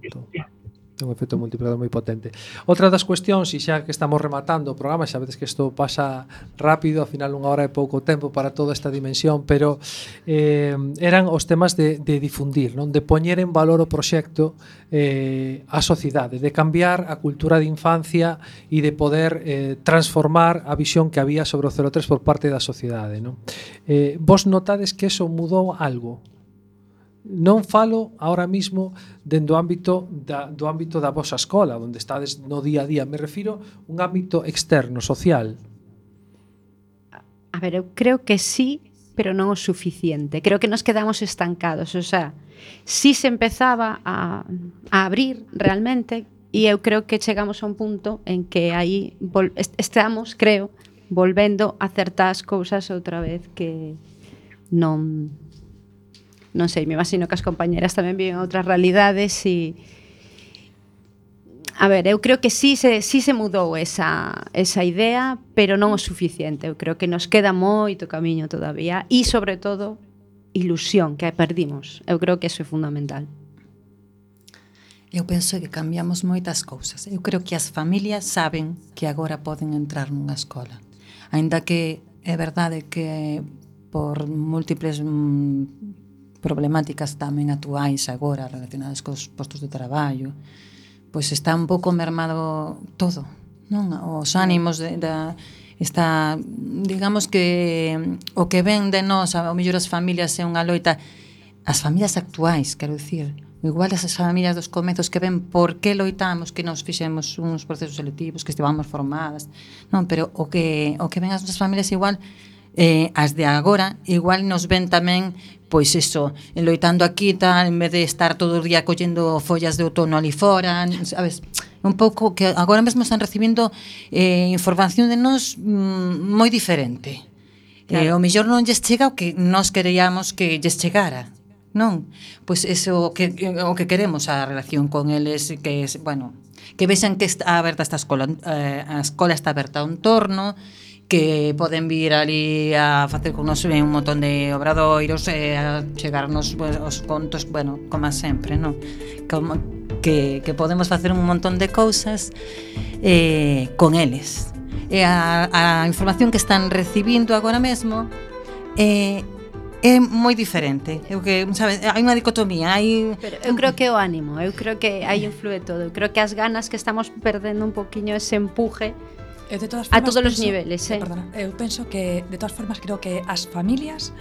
Ten un efecto multiplicador moi potente. Outra das cuestións, e xa que estamos rematando o programa, xa vedes que isto pasa rápido, ao final unha hora é pouco tempo para toda esta dimensión, pero eh, eran os temas de, de difundir, non? De poñer en valor o proxecto eh, a sociedade, de cambiar a cultura de infancia e de poder eh, transformar a visión que había sobre o cero tres por parte da sociedade, non? Eh, vos notades que eso mudou algo? Non falo ahora mismo dentro do ámbito da, do ámbito da vosa escola, onde estades no día a día, me refiro un ámbito externo, social. A ver, eu creo que sí, pero non o suficiente. Creo que nos quedamos estancados, o sea, sí se empezaba a, a abrir realmente, e eu creo que chegamos a un punto en que aí vol, estamos, creo, volvendo a certas cousas outra vez que non... non sei, me imagino que as compañeras tamén viven outras realidades e a ver, eu creo que sí se, sí se mudou esa, esa idea, pero non o suficiente. Eu creo que nos queda moito camiño todavía e, sobre todo, ilusión que perdimos. Eu creo que eso é fundamental. Eu penso que cambiamos moitas cousas. Eu creo que as familias saben que agora poden entrar nunha escola. Aínda que é verdade que por múltiples mm, problemáticas tamén actuais agora relacionadas cos postos de traballo, pois está un pouco mermado todo, non? Os ánimos de, da está, digamos que o que ven de nós, ao mellor as familias é unha loita, as familias actuais, quero dicir, igual as familias dos comezos que ven por que loitamos, que nos fixemos uns procesos selectivos, que estivamos formadas, non, pero o que o que ven as nosas familias igual eh, as de agora, igual nos ven tamén pois eso, loitando aquí tal, en vez de estar todo o día collendo follas de outono ali fora, sabes, un pouco que agora mesmo están recibindo eh, información de nós mm, moi diferente. Claro. Eh, o mellor non lles chega o que nós queríamos que lles chegara, non? Pois eso que o que queremos a relación con eles, que es, bueno, que vexan que está aberta esta escola, eh, a escola está aberta a un torno, que poden vir ali a facer con nos un montón de obradoiros, e a chegarnos pues, os contos, bueno, como sempre, non? Como que, que podemos facer un montón de cousas eh, con eles. E a, a información que están recibindo agora mesmo eh, é moi diferente. Eu que, sabes, hai unha dicotomía, hai Pero eu creo que o ánimo, eu creo que aí influe todo. Eu creo que as ganas que estamos perdendo un poquiño ese empuje Eu de todas a formas todos os penso, niveles, eh. Perdona, eu penso que de todas formas creo que as familias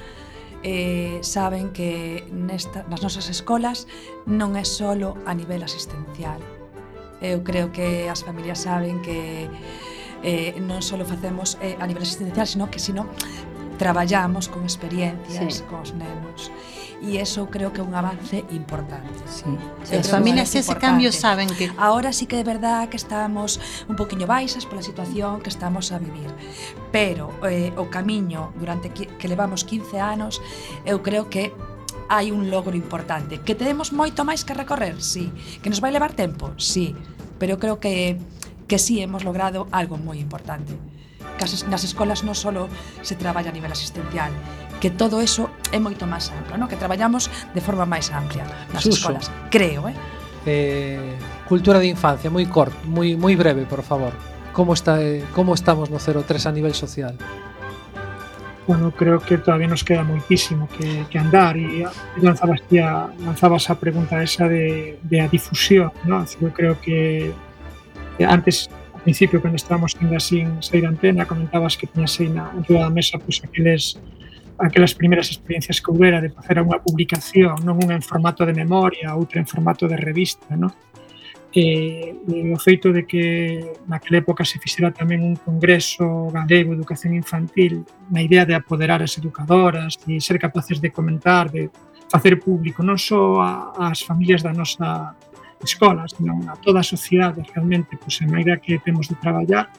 eh, saben que nesta, nas nosas escolas non é solo a nivel asistencial. Eu creo que as familias saben que eh, non só facemos eh, a nivel asistencial, sino que sino traballamos con experiencias, sí, cos nenos. E eso creo que é un avance importante. Sí. As familias ese cambio saben que ahora sí que é verdad que estamos un poquinho baixas pola situación que estamos a vivir, pero eh, o camiño durante que, que levamos quince anos, eu creo que hai un logro importante. Que temos moito máis que recorrer, sí. Que nos vai levar tempo, sí. Pero eu creo que que sí hemos logrado algo moi importante. Que nas escolas non só se traballa a nivel asistencial, que todo eso é moito máis amplo, ¿no? Que traballamos de forma máis amplia nas Suso. escolas, creo, eh? eh cultura de infancia, moi corto, moi moi breve, por favor. Como está eh, como estamos no cero tres a nivel social? Bueno, creo que todavía nos queda moitísimo que, que andar e lanzabas, tía, lanzabas a pregunta esa de, de a difusión, ¿no? Eu creo que antes, ao principio, cando estábamos ainda sin sair antena, comentabas que tiñas aí na entrada da mesa pois, aqueles, aquelas primeiras experiencias que houbera de facer unha publicación, non unha en formato de memoria, outra en formato de revista, ¿no? E, e o feito de que naquela época se fixera tamén un congreso galego de educación infantil na idea de apoderar as educadoras e ser capaces de comentar, de facer público non só as familias da nosa escola, sino a toda a sociedade realmente, pois, a maneira que temos de traballar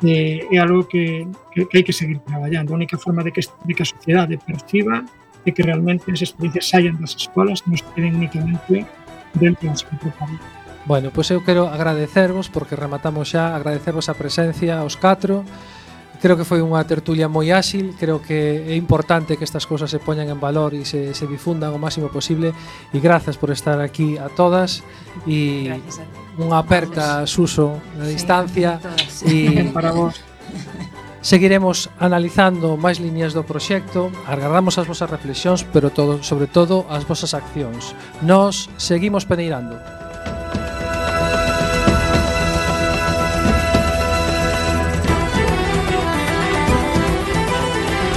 eh, é algo que, que, que hai que seguir traballando. A única forma de que, de que a sociedade perciba é que realmente as experiencias saian das escolas e non se queden únicamente dentro das que preparan. Bueno, pois eu quero agradecervos, porque rematamos xa, agradecervos a presencia aos catro. Creo que foi unha tertulia moi áxil, creo que é importante que estas cousas se poñan en valor e se, se difundan o máximo posible, e grazas por estar aquí a todas, e unha aperta Suso na distancia, sí, e para vos. Seguiremos analizando máis liñas do proxecto, agardamos as vosas reflexións, pero todo, sobre todo as vosas accións. Nos seguimos peneirando.